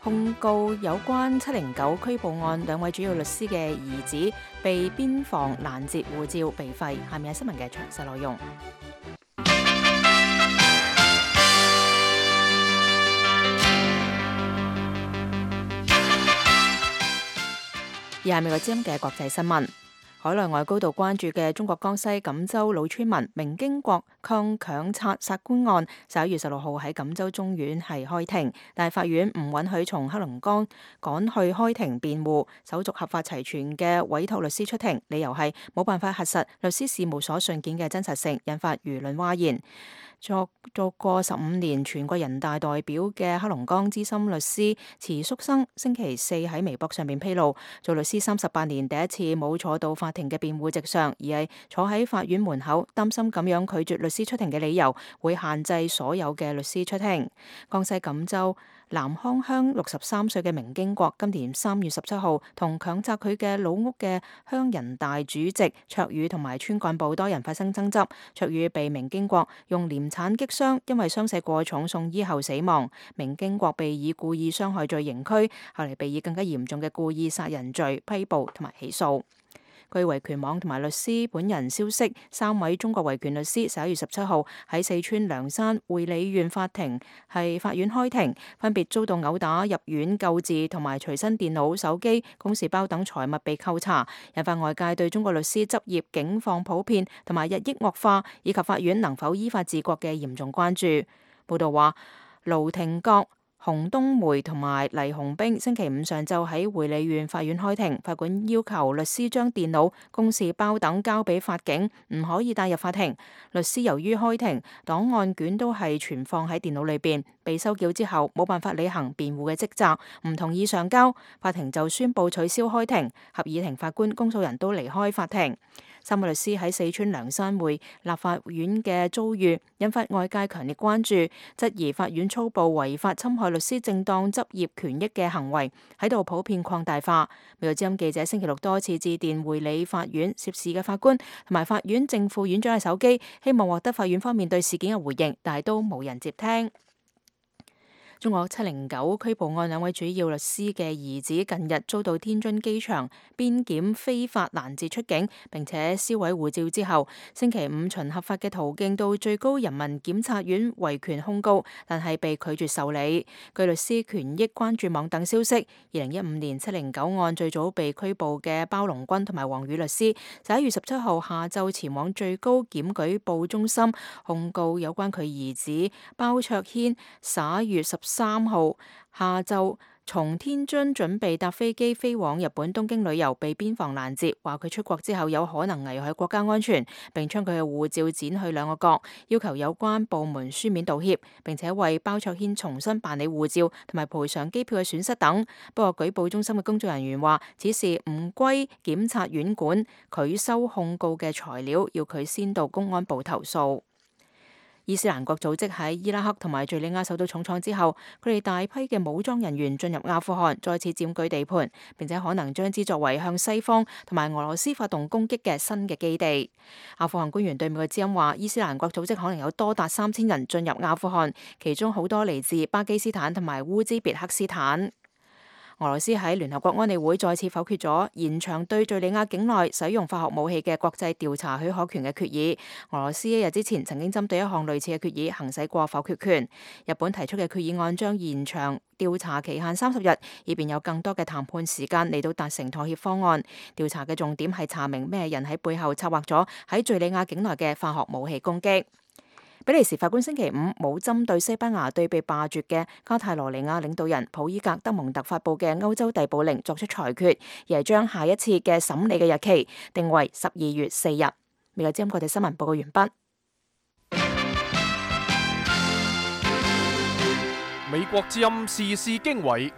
控告有關七零九拘捕案兩位主要律師嘅兒子被邊防攔截護照被廢。下面係新聞嘅詳細內容。以下係美國之音嘅國際新聞。海內外高度關注嘅中國江西錦州老村民明經國抗強拆殺官案，十一月十六號喺錦州中院係開庭，但係法院唔允許從黑龍江趕去開庭辯護，手續合法齊全嘅委託律師出庭，理由係冇辦法核實律師事務所信件嘅真實性，引發輿論譁然。作做過十五年全國人大代表嘅黑龍江資深律師池淑生星期四喺微博上面披露，做律師三十八年第一次冇坐到法庭嘅辯護席上，而係坐喺法院門口，擔心咁樣拒絕律師出庭嘅理由會限制所有嘅律師出庭。江西錦州南康鄉六十三歲嘅明經國今年三月十七號同強拆佢嘅老屋嘅鄉人大主席卓宇同埋村幹部多人發生爭執，卓宇被明經國用鐮鏟擊傷，因為傷勢過重送醫後死亡。明經國被以故意傷害罪刑拘，後嚟被以更加嚴重嘅故意殺人罪批捕同埋起訴。據維權網同埋律師本人消息，三位中國維權律師十一月十七號喺四川涼山會理縣法庭係法院開庭，分別遭到毆打、入院救治同埋隨身電腦、手機、公事包等財物被扣查，引發外界對中國律師執業境況普遍同埋日益惡化，以及法院能否依法治國嘅嚴重關注。報道話，盧廷國、洪冬梅同埋黎洪兵星期五上晝喺會理縣法院開庭，法官要求律師將電腦、公事包等交俾法警，唔可以帶入法庭。律師由於開庭檔案卷都係存放喺電腦裏邊，被收繳之後冇辦法履行辯護嘅職責，唔同意上交，法庭就宣布取消開庭，合議庭法官、公訴人都離開法庭。三位律師喺四川涼山會立法院嘅遭遇，引發外界強烈關注，質疑法院粗暴違法侵害律師正當執業權益嘅行為喺度普遍擴大化。美國之音記者星期六多次致電會理法院涉事嘅法官同埋法院正副院長嘅手機，希望獲得法院方面對事件嘅回應，但係都冇人接聽。中國七零九拘捕案兩位主要律師嘅兒子近日遭到天津機場邊檢非法攔截出境，並且銷毀護照之後，星期五循合法嘅途徑到最高人民檢察院維權控告，但係被拒絕受理。據律師權益關注網等消息，二零一五年七零九案最早被拘捕嘅包龍軍同埋黃宇律師，十一月十七號下晝前往最高檢舉報中心控告有關佢兒子包卓軒十一月十三號下晝從天津準備搭飛機飛往日本東京旅遊，被邊防攔截，話佢出國之後有可能危害國家安全，並將佢嘅護照剪去兩個角，要求有關部門書面道歉，並且為包卓軒重新辦理護照同埋賠償機票嘅損失等。不過舉報中心嘅工作人員話，此事唔歸檢察院管，拒收控告嘅材料，要佢先到公安部投訴。伊斯蘭國組織喺伊拉克同埋敘利亞受到重創之後，佢哋大批嘅武裝人員進入阿富汗，再次佔據地盤，並且可能將之作為向西方同埋俄羅斯發動攻擊嘅新嘅基地。阿富汗官員對美國之音話，伊斯蘭國組織可能有多達三千人進入阿富汗，其中好多嚟自巴基斯坦同埋烏茲別克斯坦。俄羅斯喺聯合國安理會再次否決咗延長對敘利亞境內使用化學武器嘅國際調查許可權嘅決議。俄羅斯一日之前曾經針對一項類似嘅決議行使過否決權。日本提出嘅決議案將延長調查期限三十日，以便有更多嘅談判時間嚟到達成妥協方案。調查嘅重點係查明咩人喺背後策劃咗喺敘利亞境內嘅化學武器攻擊。比利時法官星期五冇針對西班牙對被罷黜嘅加泰羅尼亞領導人普伊格德蒙特發布嘅歐洲逮捕令作出裁決，而係將下一次嘅審理嘅日期定為十二月四日。美國之音國際新聞報告完畢。美國之音時事經緯，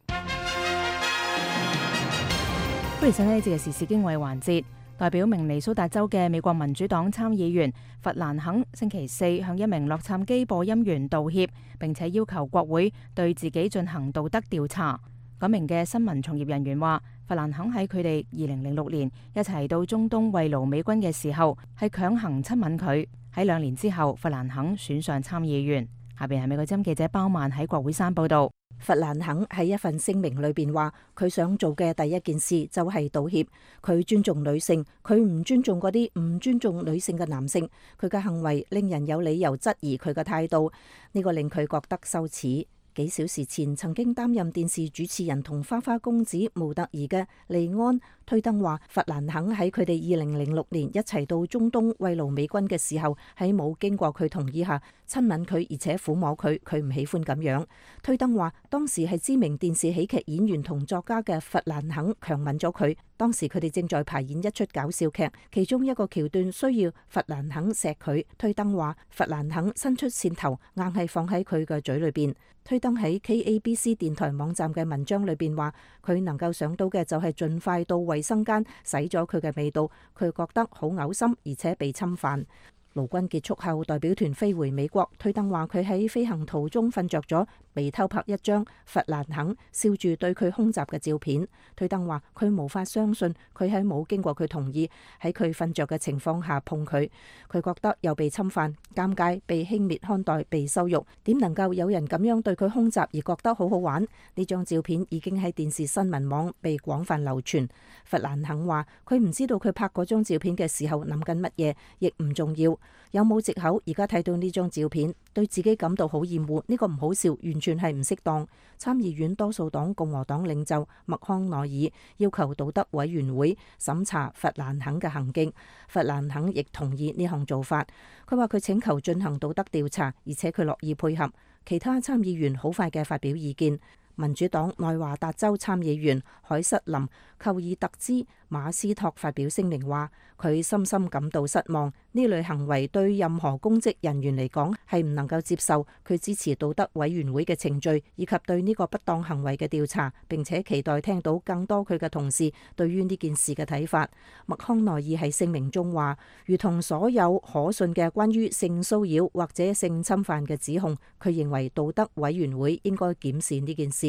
歡迎收睇呢節嘅時事經緯環節。代表明尼蘇達州嘅美國民主黨參議員弗蘭肯星期四向一名洛杉磯播音員道歉，並且要求國會對自己進行道德調查。嗰名嘅新聞從業人員話，弗蘭肯喺佢哋二零零六年一齊到中東慰勞美軍嘅時候，係強行親吻佢。喺兩年之後，弗蘭肯選上參議員。下邊係美國之音記者包曼喺國會山報道。弗蘭肯喺一份聲明裏邊話，佢想做嘅第一件事就係道歉。佢尊重女性，佢唔尊重嗰啲唔尊重女性嘅男性。佢嘅行為令人有理由質疑佢嘅態度，呢個令佢覺得羞恥。幾小時前曾經擔任電視主持人同花花公子模特兒嘅利安推登話，弗蘭肯喺佢哋二零零六年一齊到中東慰勞美軍嘅時候，喺冇經過佢同意下親吻佢，而且撫摸佢，佢唔喜歡咁樣。推登話，當時係知名電視喜劇演員同作家嘅弗蘭肯強吻咗佢。當時佢哋正在排演一出搞笑劇，其中一個橋段需要弗蘭肯錫佢。推登話，弗蘭肯伸出線頭，硬係放喺佢嘅嘴裏邊。推登喺 K A B C 電台網站嘅文章裏邊話，佢能夠想到嘅就係盡快到衛生間洗咗佢嘅味道，佢覺得好嘔心，而且被侵犯。勞軍結束後，代表團飛回美國。推登話佢喺飛行途中瞓着咗，被偷拍一張弗蘭肯笑住對佢空襲嘅照片。推登話佢無法相信佢喺冇經過佢同意喺佢瞓着嘅情況下碰佢，佢覺得又被侵犯、尷尬、被輕蔑看待、被羞辱。點能夠有人咁樣對佢空襲而覺得好好玩？呢張照片已經喺電視新聞網被廣泛流傳。弗蘭肯話佢唔知道佢拍嗰張照片嘅時候諗緊乜嘢，亦唔重要。有冇藉口？而家睇到呢張照片，對自己感到好厭惡，呢個唔好笑，完全係唔適當。參議院多數黨共和黨領袖麥康奈爾要求道德委員會審查弗蘭肯嘅行徑，弗蘭肯亦同意呢項做法。佢話佢請求進行道德調查，而且佢樂意配合。其他參議員好快嘅發表意見。民主黨內華達州參議員海瑟琳·寇爾特茲馬斯托發表聲明話，佢深深感到失望，呢類行為對任何公職人員嚟講係唔能夠接受。佢支持道德委員會嘅程序以及對呢個不當行為嘅調查，並且期待聽到更多佢嘅同事對於呢件事嘅睇法。麥康奈爾喺聲明中話，如同所有可信嘅關於性騷擾或者性侵犯嘅指控，佢認為道德委員會應該檢視呢件事。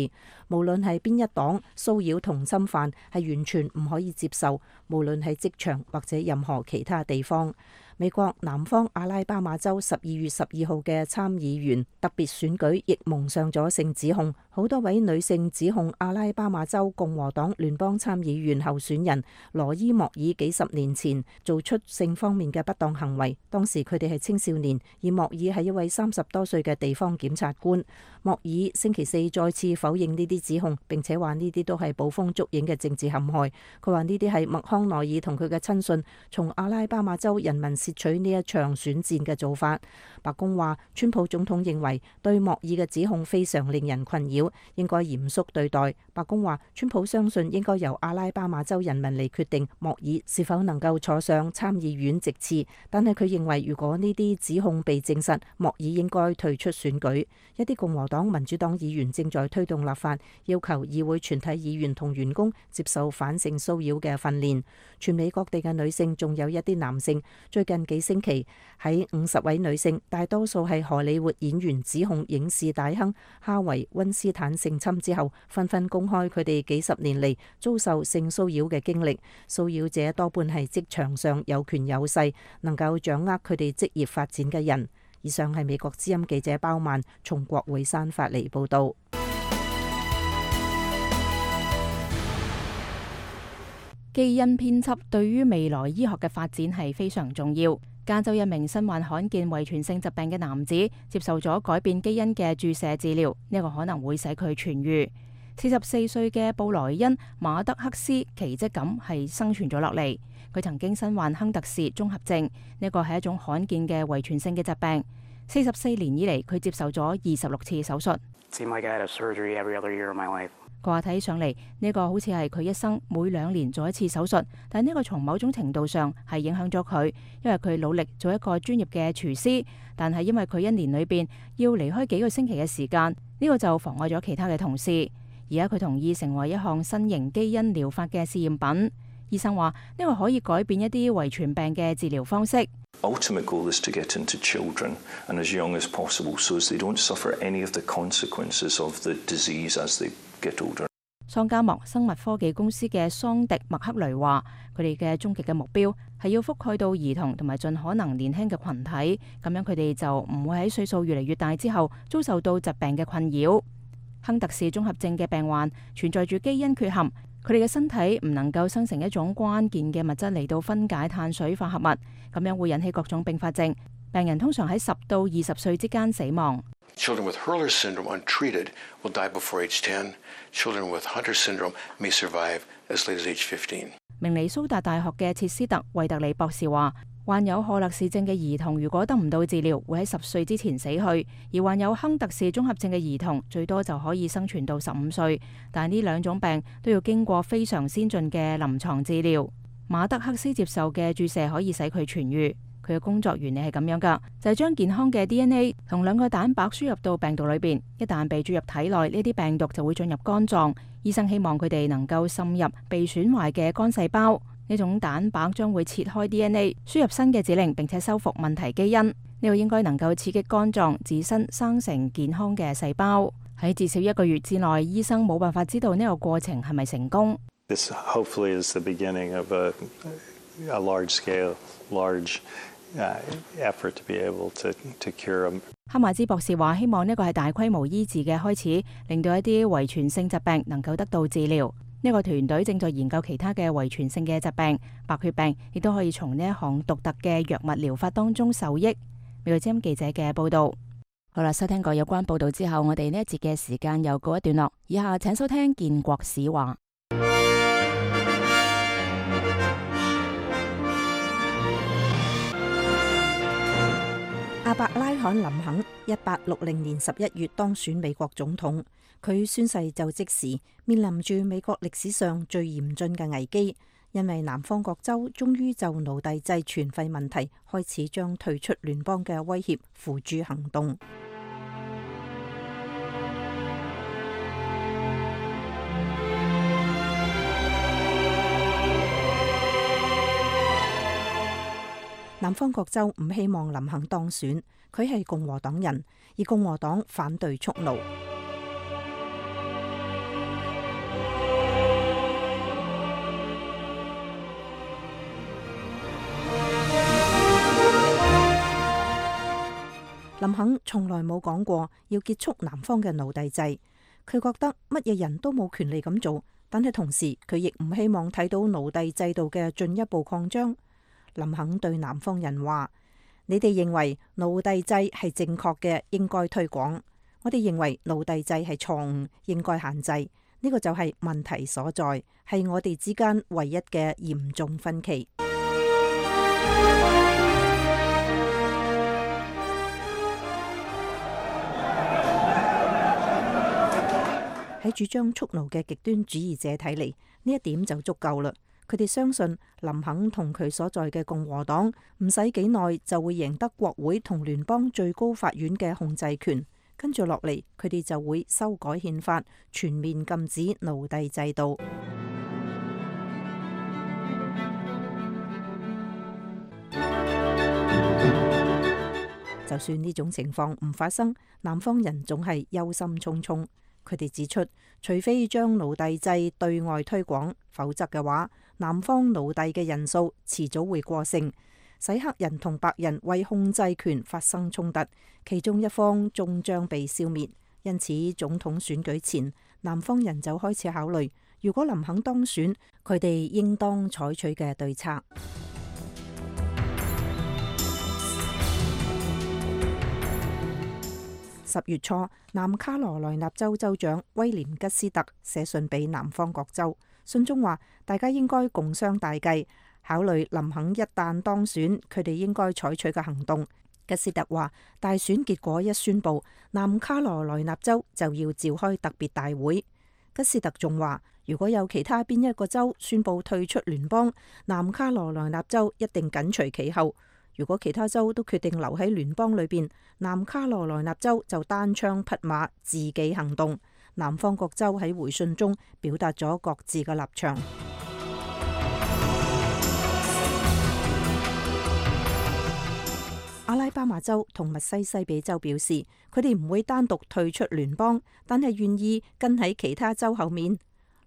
無論係邊一黨，騷擾同侵犯係完全唔可以接受，無論係職場或者任何其他地方。美國南方阿拉巴馬州十二月十二號嘅參議員特別選舉亦蒙上咗性指控，好多位女性指控阿拉巴馬州共和黨聯邦參議員候選人羅伊莫爾幾十年前做出性方面嘅不當行為，當時佢哋係青少年，而莫爾係一位三十多歲嘅地方檢察官。莫爾星期四再次否認呢啲指控，並且話呢啲都係捕風捉影嘅政治陷害。佢話呢啲係麥康奈爾同佢嘅親信從阿拉巴馬州人民竊取呢一場選戰嘅做法。白宮話，川普總統認為對莫爾嘅指控非常令人困擾，應該嚴肅對待。白宮話，川普相信應該由阿拉巴馬州人民嚟決定莫爾是否能夠坐上參議院席次，但係佢認為如果呢啲指控被證實，莫爾應該退出選舉。一啲共和黨、民主黨議員正在推動立法，要求議會全體議員同員工接受反性騷擾嘅訓練。全美各地嘅女性，仲有一啲男性，最近幾星期喺五十位女性，大多數係荷里活演員，指控影視大亨哈維溫斯坦性侵之後，紛紛公開佢哋幾十年嚟遭受性騷擾嘅經歷。騷擾者多半係職場上有權有勢，能夠掌握佢哋職業發展嘅人。以上係美國之音記者包曼從國會山發嚟報道。基因編輯對於未來醫學嘅發展係非常重要。加州一名身患罕見遺傳性疾病嘅男子接受咗改變基因嘅注射治療，呢個可能會使佢痊癒。四十四歲嘅布萊恩馬德克斯奇蹟咁係生存咗落嚟。佢曾經身患亨特氏綜合症，呢個係一種罕見嘅遺傳性嘅疾病。四十四年以嚟，佢接受咗二十六次手術。佢話睇上嚟呢個好似係佢一生每兩年做一次手術，但呢個從某種程度上係影響咗佢，因為佢努力做一個專業嘅廚師，但係因為佢一年裏邊要離開幾個星期嘅時間，呢個就妨礙咗其他嘅同事。而家佢同意成為一項新型基因療法嘅試驗品。醫生話呢個可以改變一啲遺傳病嘅治療方式。Ultimate goal is to get into children and as young as possible, so as they don't suffer any of the consequences of the disease as they get older. 桑加莫生物科技公司嘅桑迪麥克雷話，佢哋嘅終極嘅目標係要覆蓋到兒童同埋盡可能年輕嘅群體，咁樣佢哋就唔會喺歲數越嚟越大之後遭受到疾病嘅困擾。亨特氏綜合症嘅病患存在住基因缺陷。佢哋嘅身體唔能夠生成一種關鍵嘅物質嚟到分解碳水化合物，咁樣會引起各種併發症。病人通常喺十到二十歲之間死亡。Children with Hurler syndrome untreated will die before age ten. Children with Hunter syndrome may survive as late as age fifteen. 明尼蘇達大學嘅切斯特惠特里博士話，患有賀勒氏症嘅兒童如果得唔到治療，會喺十歲之前死去；而患有亨特氏綜合症嘅兒童最多就可以生存到十五歲。但係呢兩種病都要經過非常先進嘅臨床治療。馬德克斯接受嘅注射可以使佢痊癒。佢嘅工作原理係咁樣㗎，就係將健康嘅 D N A 同兩個蛋白輸入到病毒裏邊。一旦被注入體內，呢啲病毒就會進入肝臟。醫生希望佢哋能夠滲入被損壞嘅肝細胞。呢種蛋白將會切開 D N A， 輸入新嘅指令，並且修復問題基因。呢個應該能夠刺激肝臟自身生成健康嘅細胞。喺至少一個月之內，醫生冇辦法知道呢個過程係咪成功。This hopefully is the beginning of a, a large scale, large uh, effort to be able to, to cure them. 哈馬茲博士話：希望呢個係大規模醫治嘅開始，令到一啲遺傳性疾病能夠得到治療。呢個團隊正在研究其他嘅遺傳性嘅疾病，白血病亦都可以從呢一項獨特嘅藥物療法當中受益。美國之音記者嘅報道。好啦，收聽過有關報道之後，我哋呢一節嘅時間又告一段落。以下請收聽建國史話。亞伯拉罕林肯一八六零年十一月當選美國總統，佢宣誓就職時面臨住美國歷史上最嚴峻嘅危機，因為南方各州終於就奴隸制全廢問題開始將退出聯邦嘅威脅付諸行動。南方各州唔希望林肯當選，佢係共和黨人，而共和黨反對蓄奴。林肯從來冇講過要結束南方嘅奴隸制，佢覺得乜嘢人都冇權利咁做，但係同時佢亦唔希望睇到奴隸制度嘅進一步擴張。林肯對南方人話：你哋認為奴隸制係正確嘅，應該推廣；我哋認為奴隸制係錯誤，應該限制。呢個就係問題所在，係我哋之間唯一嘅嚴重分歧。喺主張蓄奴嘅極端主義者睇嚟，呢一點就足夠啦。佢哋相信林肯同佢所在嘅共和黨唔使幾耐就會贏得國會同聯邦最高法院嘅控制權，跟住落嚟佢哋就會修改憲法，全面禁止奴隸制度。就算呢種情況唔發生，南方人總係憂心忡忡。佢哋指出，除非將奴隸制對外推廣，否則嘅話，南方奴隸嘅人數遲早會過剩，使黑人同白人為控制權發生衝突，其中一方終將被消滅。因此，總統選舉前，南方人就開始考慮如果林肯當選，佢哋應當採取嘅對策。十月初，南卡羅來納州州長威廉吉斯特寫信俾南方各州，信中話大家應該共商大計，考慮林肯一旦當選，佢哋應該採取嘅行動。吉斯特話，大選結果一宣佈，南卡羅來納州就要召開特別大會。吉斯特仲話，如果有其他邊一個州宣佈退出聯邦，南卡羅來納州一定緊隨其後。如果其他州都決定留喺聯邦裏邊，南卡羅來納州就單槍匹馬自己行動。南方各州喺回信中表達咗各自嘅立場。阿拉巴馬州同密西西比州表示，佢哋唔會單獨退出聯邦，但係願意跟喺其他州後面。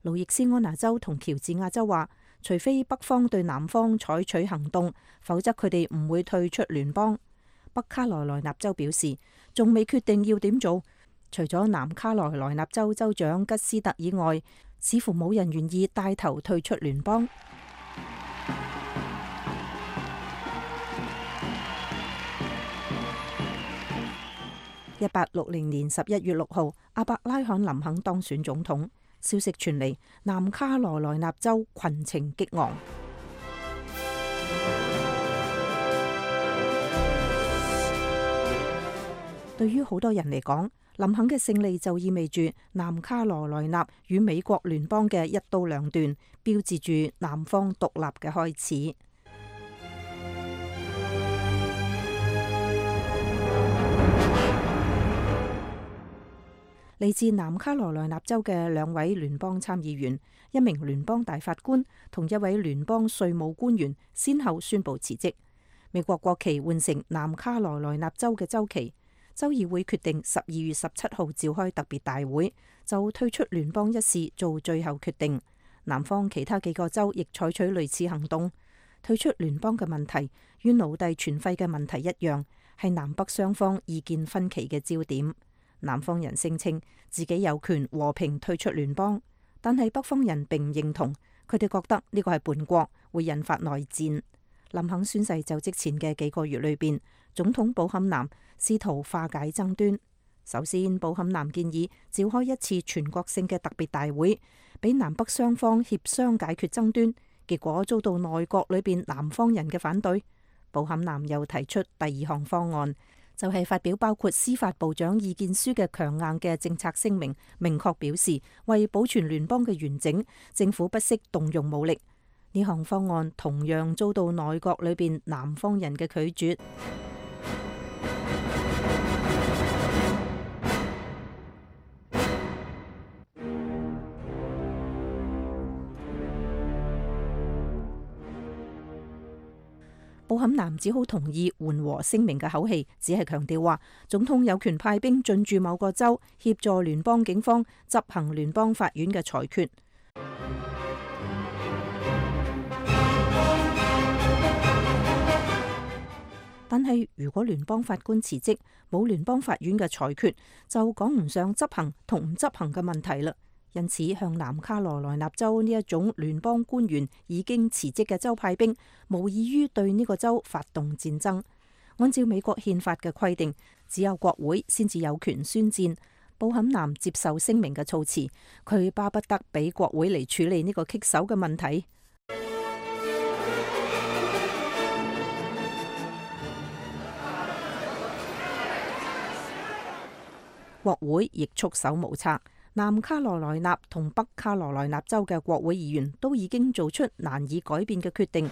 路易斯安那州同喬治亞州話，除非北方對南方採取行動，否則佢哋唔會退出聯邦。北卡羅來納州表示，仲未決定要點做。除咗南卡羅來納州州長吉斯特以外，似乎冇人願意帶頭退出聯邦。一八六零年十一月六號，阿伯拉罕林肯當選總統。消息傳嚟，南卡羅來納州群情激昂。對於好多人嚟講，林肯嘅勝利就意味住南卡羅來納與美國聯邦嘅一刀兩斷，標誌住南方獨立嘅開始。嚟自南卡羅來納州嘅兩位聯邦參議員、一名聯邦大法官同一位聯邦稅務官員，先後宣布辭職。美國國旗換成南卡羅來納州嘅州旗。州議會決定十二月十七號召開特別大會，就退出聯邦一事做最後決定。南方其他幾個州亦採取類似行動。退出聯邦嘅問題與奴隸存廢嘅問題一樣，係南北雙方意見分歧嘅焦點。南方人聲稱自己有權和平退出聯邦，但係北方人並唔認同，佢哋覺得呢個係叛國，會引發內戰。林肯宣誓就職前嘅幾個月裏邊，總統布坎南試圖化解爭端。首先，布坎南建議召開一次全國性嘅特別大會，俾南北雙方協商解決爭端，結果遭到內閣裏邊南方人嘅反對。布坎南又提出第二項方案，就係發表包括司法部長意見書嘅強硬嘅政策聲明，明確表示為保存聯邦嘅完整，政府不惜動用武力。呢項方案同樣遭到內閣裏邊南方人嘅拒絕。布坎南只好同意緩和聲明嘅口氣，只係強調話總統有權派兵進駐某個州，協助聯邦警方執行聯邦法院嘅裁決。但係如果聯邦法官辭職，冇聯邦法院嘅裁決，就講唔上執行同唔執行嘅問題啦。因此，向南卡羅來納州呢一種聯邦官員已經辭職嘅州派兵，無異於對呢個州發動戰爭。按照美國憲法嘅規定，只有國會先至有權宣戰。布坎南接受聲明嘅措辭，佢巴不得俾國會嚟處理呢個棘手嘅問題。國會亦束手無策。南卡羅來納同北卡羅來納州嘅國會議員都已經做出難以改變嘅決定。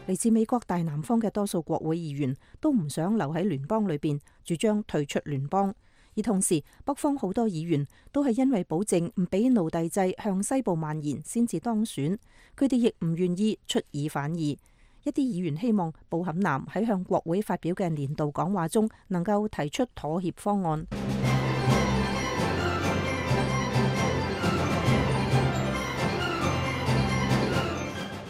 嚟自美國大南方嘅多數國會議員都唔想留喺聯邦裏邊，主張退出聯邦。而同時，北方好多議員都係因為保證唔俾奴隸制向西部蔓延，先至當選。佢哋亦唔願意出爾反爾。一啲議員希望布坎南喺向國會發表嘅年度講話中，能夠提出妥協方案。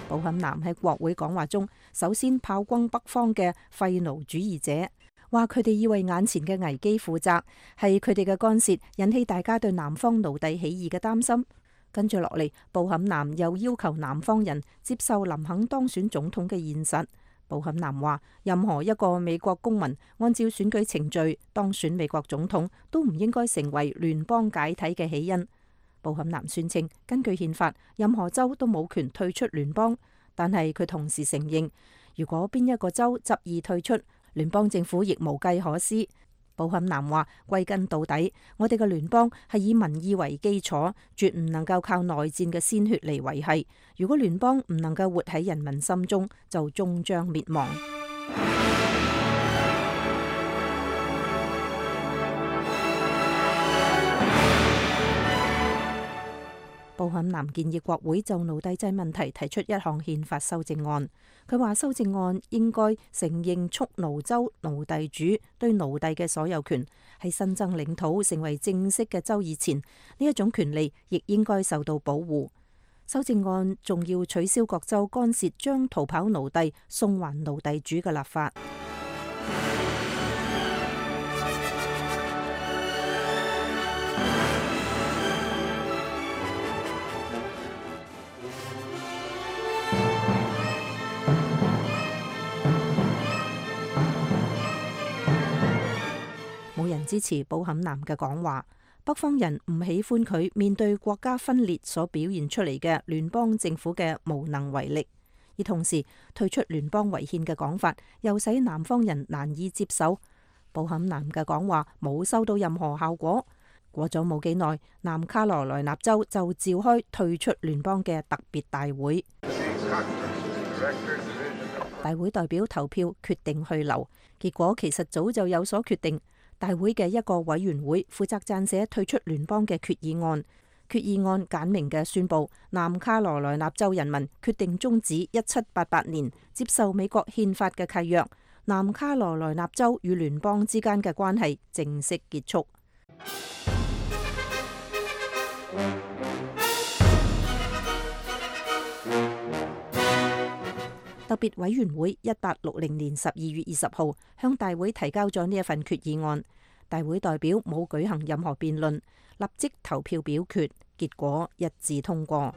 布布坎南喺國會講話中，首先炮轟北方嘅廢奴主義者，話佢哋要為眼前嘅危機負責，係佢哋嘅干涉引起大家對南方奴隸起義嘅擔心。跟住落嚟，布坎南又要求南方人接受林肯當選總統嘅現實。布坎南話，任何一個美國公民按照選舉程序當選美國總統，都唔應該成為聯邦解體嘅起因。布坎南宣稱，根據憲法，任何州都冇權退出聯邦，但係佢同時承認，如果邊一個州執意退出，聯邦政府亦無計可施。布坎南話，歸根到底，我哋嘅聯邦係以民意為基礎，絕唔能夠靠內戰嘅鮮血嚟維繫。如果聯邦唔能夠活喺人民心中，就終將滅亡。布坎南建議國會就奴隸制問題提出一項憲法修正案。佢話修正案應該承認蓄奴州奴隸主對奴隸嘅所有權，喺新增領土成為正式嘅州以前，呢一種權利亦應該受到保護。修正案仲要取消各州干涉將逃跑奴隸送還奴隸主嘅立法。冇人支持布坎南嘅講話，北方人唔喜歡佢面對國家分裂所表現出嚟嘅聯邦政府嘅無能為力，而同時退出聯邦違憲嘅講法又使南方人難以接受。布坎南嘅講話冇收到任何效果。過咗冇幾耐，南卡羅來納州就召開退出聯邦嘅特別大會，大會代表投票決定去留，結果其實早就有所決定。大會嘅一個委員會負責撰寫退出聯邦嘅決議案，決議案簡明嘅宣布南卡羅來納州人民決定終止一七八八年接受美國憲法嘅契約，南卡羅來納州與聯邦之間嘅關係正式結束。特別委員會一八六零年十二月二十號向大會提交咗呢一份決議案，大會代表冇舉行任何辯論，立即投票表決，結果一致通過。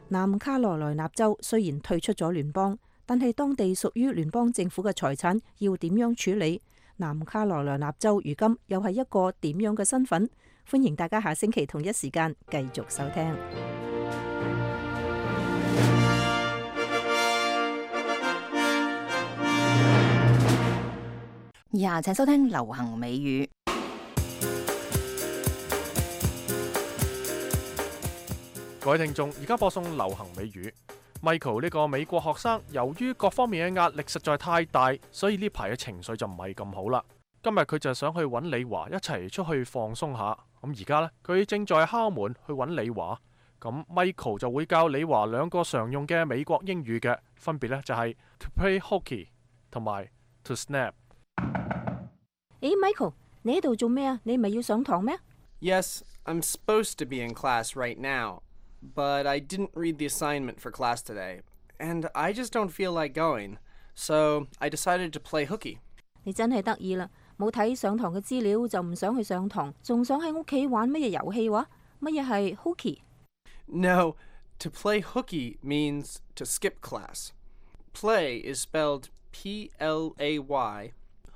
南卡羅來納州雖然退出咗聯邦，但係當地屬於聯邦政府嘅財產要點樣處理？南卡羅來納州如今又係一個點樣嘅身份？歡迎大家下星期同一時間繼續收聽。以下請收聽流行美語。各位聽眾，而家播送流行美語。Michael 呢個美國學生，由於各方面嘅壓力實在太大，所以呢排嘅情緒就唔係咁好啦。今日佢就想去揾李華一齊出去放鬆下。咁而家呢，佢正在敲門去揾李華。咁 Michael 就會教李華兩個常用嘅美國英語嘅，分別呢就係 to play hooky 同埋 to snap。誒 ，Michael， 你喺度做咩啊？你唔係要上堂咩？ Yes, I'm supposed to be in class right now.But I didn't read the assignment for class today, and I just don't feel like going, so I decided to play hooky. 你真係得意啦，冇睇上堂嘅資料就唔想去上堂，仲想喺屋企玩乜嘢遊戲話？乜嘢係 hooky? No, to play hooky means to skip class. Play is spelled P L A Y,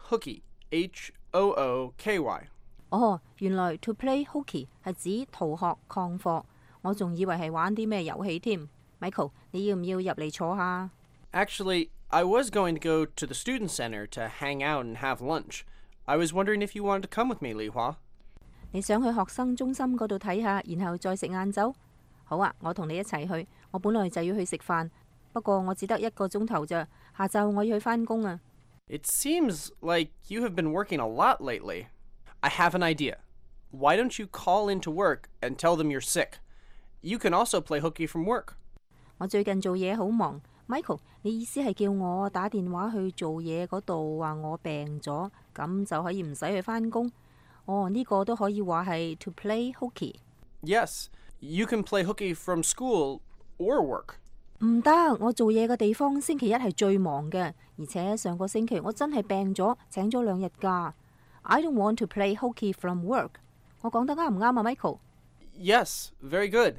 hooky, H O O K Y. 哦，原來 to play hooky 係指逃學曠課。我仲以為係玩啲咩遊戲添。Michael， 你要唔要入嚟坐下？ Actually, I was going to go to the student center to hang out and have lunch. I was wondering if you wanted to come with me, Li Hua. 你想去學生中心嗰度睇下，然後再食晏晝？好啊，我同你一齊去。我本來就要去食飯，不過我只得一個鐘頭咋。下晝我要去返工啊。It seems like you have been working a lot lately. I have an idea. Why don't you call into work and tell them you're sick?You can also play hooky from work. 我最近做嘢好忙， Michael，你意思係叫我打電話去做嘢嗰度話我病咗，咁就可以唔使去返工？哦，呢個都可以話係 to play hooky。 Yes, you can play hooky from school or work. 唔得，我做嘢嘅地方星期一係最忙嘅，而且上個星期我真係病咗，請咗兩日假。I don't want to play hooky from work。 我講得啱唔啱啊 Michael？ Yes, very good.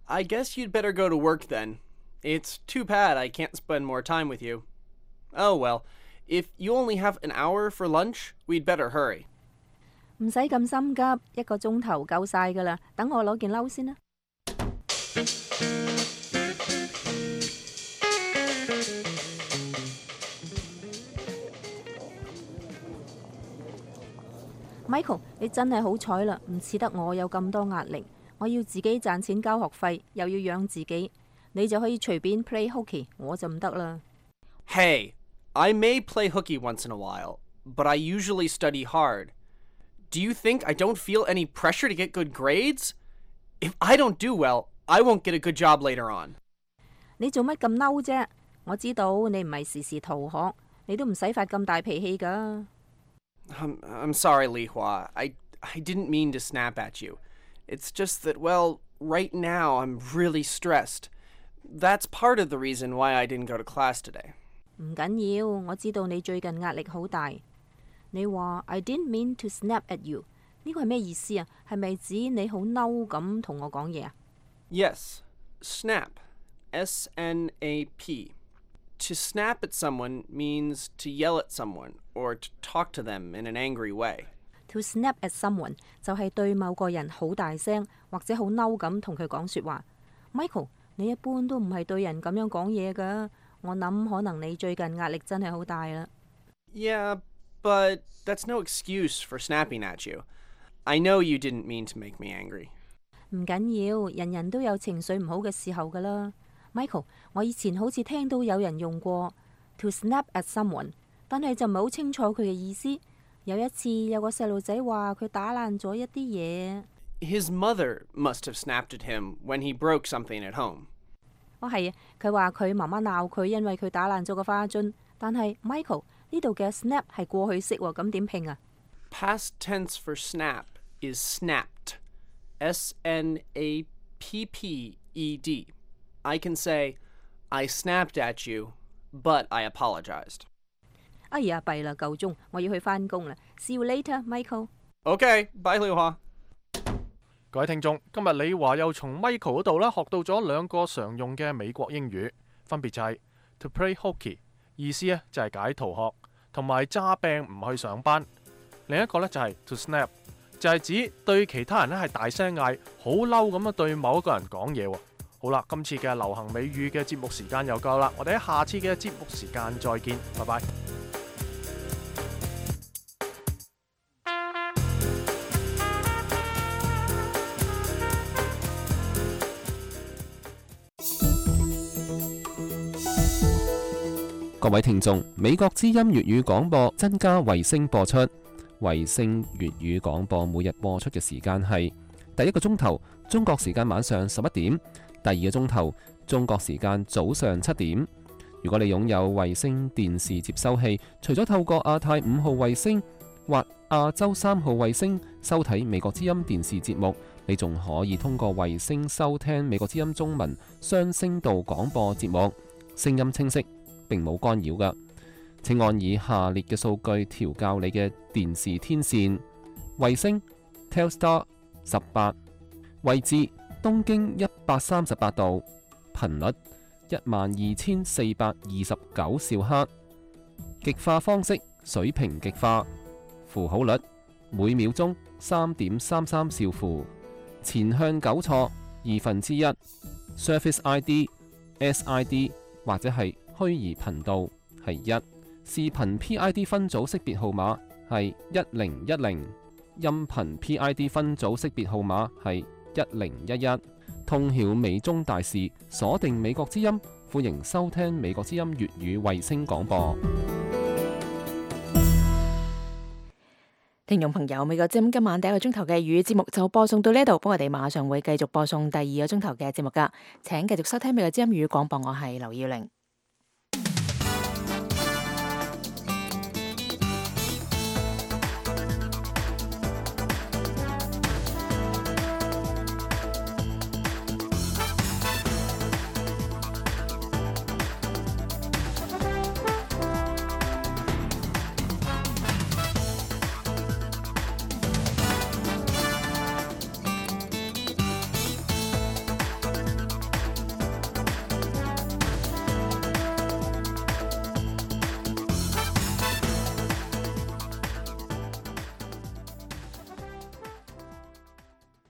I guess you'd better go to work then. It's too bad I can't spend more time with you. Oh well, if you only have an hour for lunch, we'd better hurry. 唔使咁心急，一個鐘頭夠晒噶啦。等我攞件褸先啦。Michael， 你真係好彩啦，唔似得我有咁多壓力。我要自己賺錢交學費，又要養自己，你就可以隨便 play hooky， 我就唔得啦。Hey, I may play hooky once in a while, but I usually study hard. Do you think I don't feel any pressure to get good grades? If I don't do well, I won't get a good job later on. 你做乜咁嬲啫？我知道你唔係時時逃學，你都唔使發咁大脾氣㗎。I'm, I'm sorry, Li Hua. I, I didn't mean to snap at you. It's just that, well, right now I'm really stressed. That's part of the reason why I didn't go to class today. 唔緊要，我知道你最近壓力好大。你話 I didn't mean to snap at you， 呢個係咩意思啊？係咪指你好嬲咁同我講嘢啊？ Yes, snap. S N A P. To snap at someone means to yell at someone or to talk to them in an angry way. To snap at someone 就係對某個人好大聲或者好嬲咁同佢講說話。Michael， 你一般都唔係對人咁樣講嘢㗎。我諗可能你最近壓力真係好大啦。Yeah, but that's no excuse for snapping at you. I know you didn't mean to make me angry. 唔緊要，人人都有情緒唔好嘅時候㗎啦。Michael， 我以前好似聽到有人用過 to snap at someone， 但係就唔係好清楚佢嘅意思。有一次有個細路仔話佢打爛咗一啲嘢。His mother must have snapped at him when he broke something at home. 哦係啊，佢話佢媽媽鬧佢，因為佢打爛咗個花樽。但係 Michael 呢度嘅 snap 係過去式喎，咁點拼啊？ Past tense for snap is snapped. S N A P P E D. I can say, I snapped at you, but I apologized. 哎呀，弊啦，夠鐘，我要去返工啦。See you later, Michael. Okay, bye, 李華。各位聽眾，今日李華又從 Michael 嗰度啦學到咗兩個常用嘅美國英語，分別就係 to play hooky， 意思咧就係解逃學，同埋詐病唔去上班。另一個咧就係 to snap， 就係指對其他人咧係大聲嗌，好嬲咁樣對某一個人講嘢喎。好啦，今次嘅流行美語嘅節目時間又夠啦，我哋喺下次嘅節目時間再見，拜拜。各位聽眾，美國之音粵語廣播增加衛星播出，衛星粵語廣播每日播出嘅時間係第一個鐘頭中國時間晚上十一點，第二個鐘頭中國時間早上七點。如果你擁有衛星電視接收器，除咗透過亞太五號衛星或亞洲三號衛星收睇美國之音電視節目，你仲可以通過衛星收聽美國之音中文雙聲道廣播節目，聲音清晰，並冇干擾㗎。請按以下列嘅數據調校你嘅電視天線：衛星 Telstar 十八，位置東經一百三十八度，頻率一萬二千四百二十九兆赫，極化方式水平極化，符號率每秒鐘三點三三兆符，前向糾錯二分之一 ，Service I D S I D 或者係虛擬頻道係一，視頻 P I D 分組識別號碼係一零一零，音頻 P I D 分組識別號碼係一零一一。通曉美中大事，鎖定美國之音，歡迎收聽美國之音粵語衛星廣播。聽眾朋友，美國之音今晚第一個鐘頭嘅粵語節目就播送到呢度，不過我哋馬上會繼續播送第二個鐘頭嘅節目噶，請繼續收聽美國之音粵語廣播，我係劉耀玲。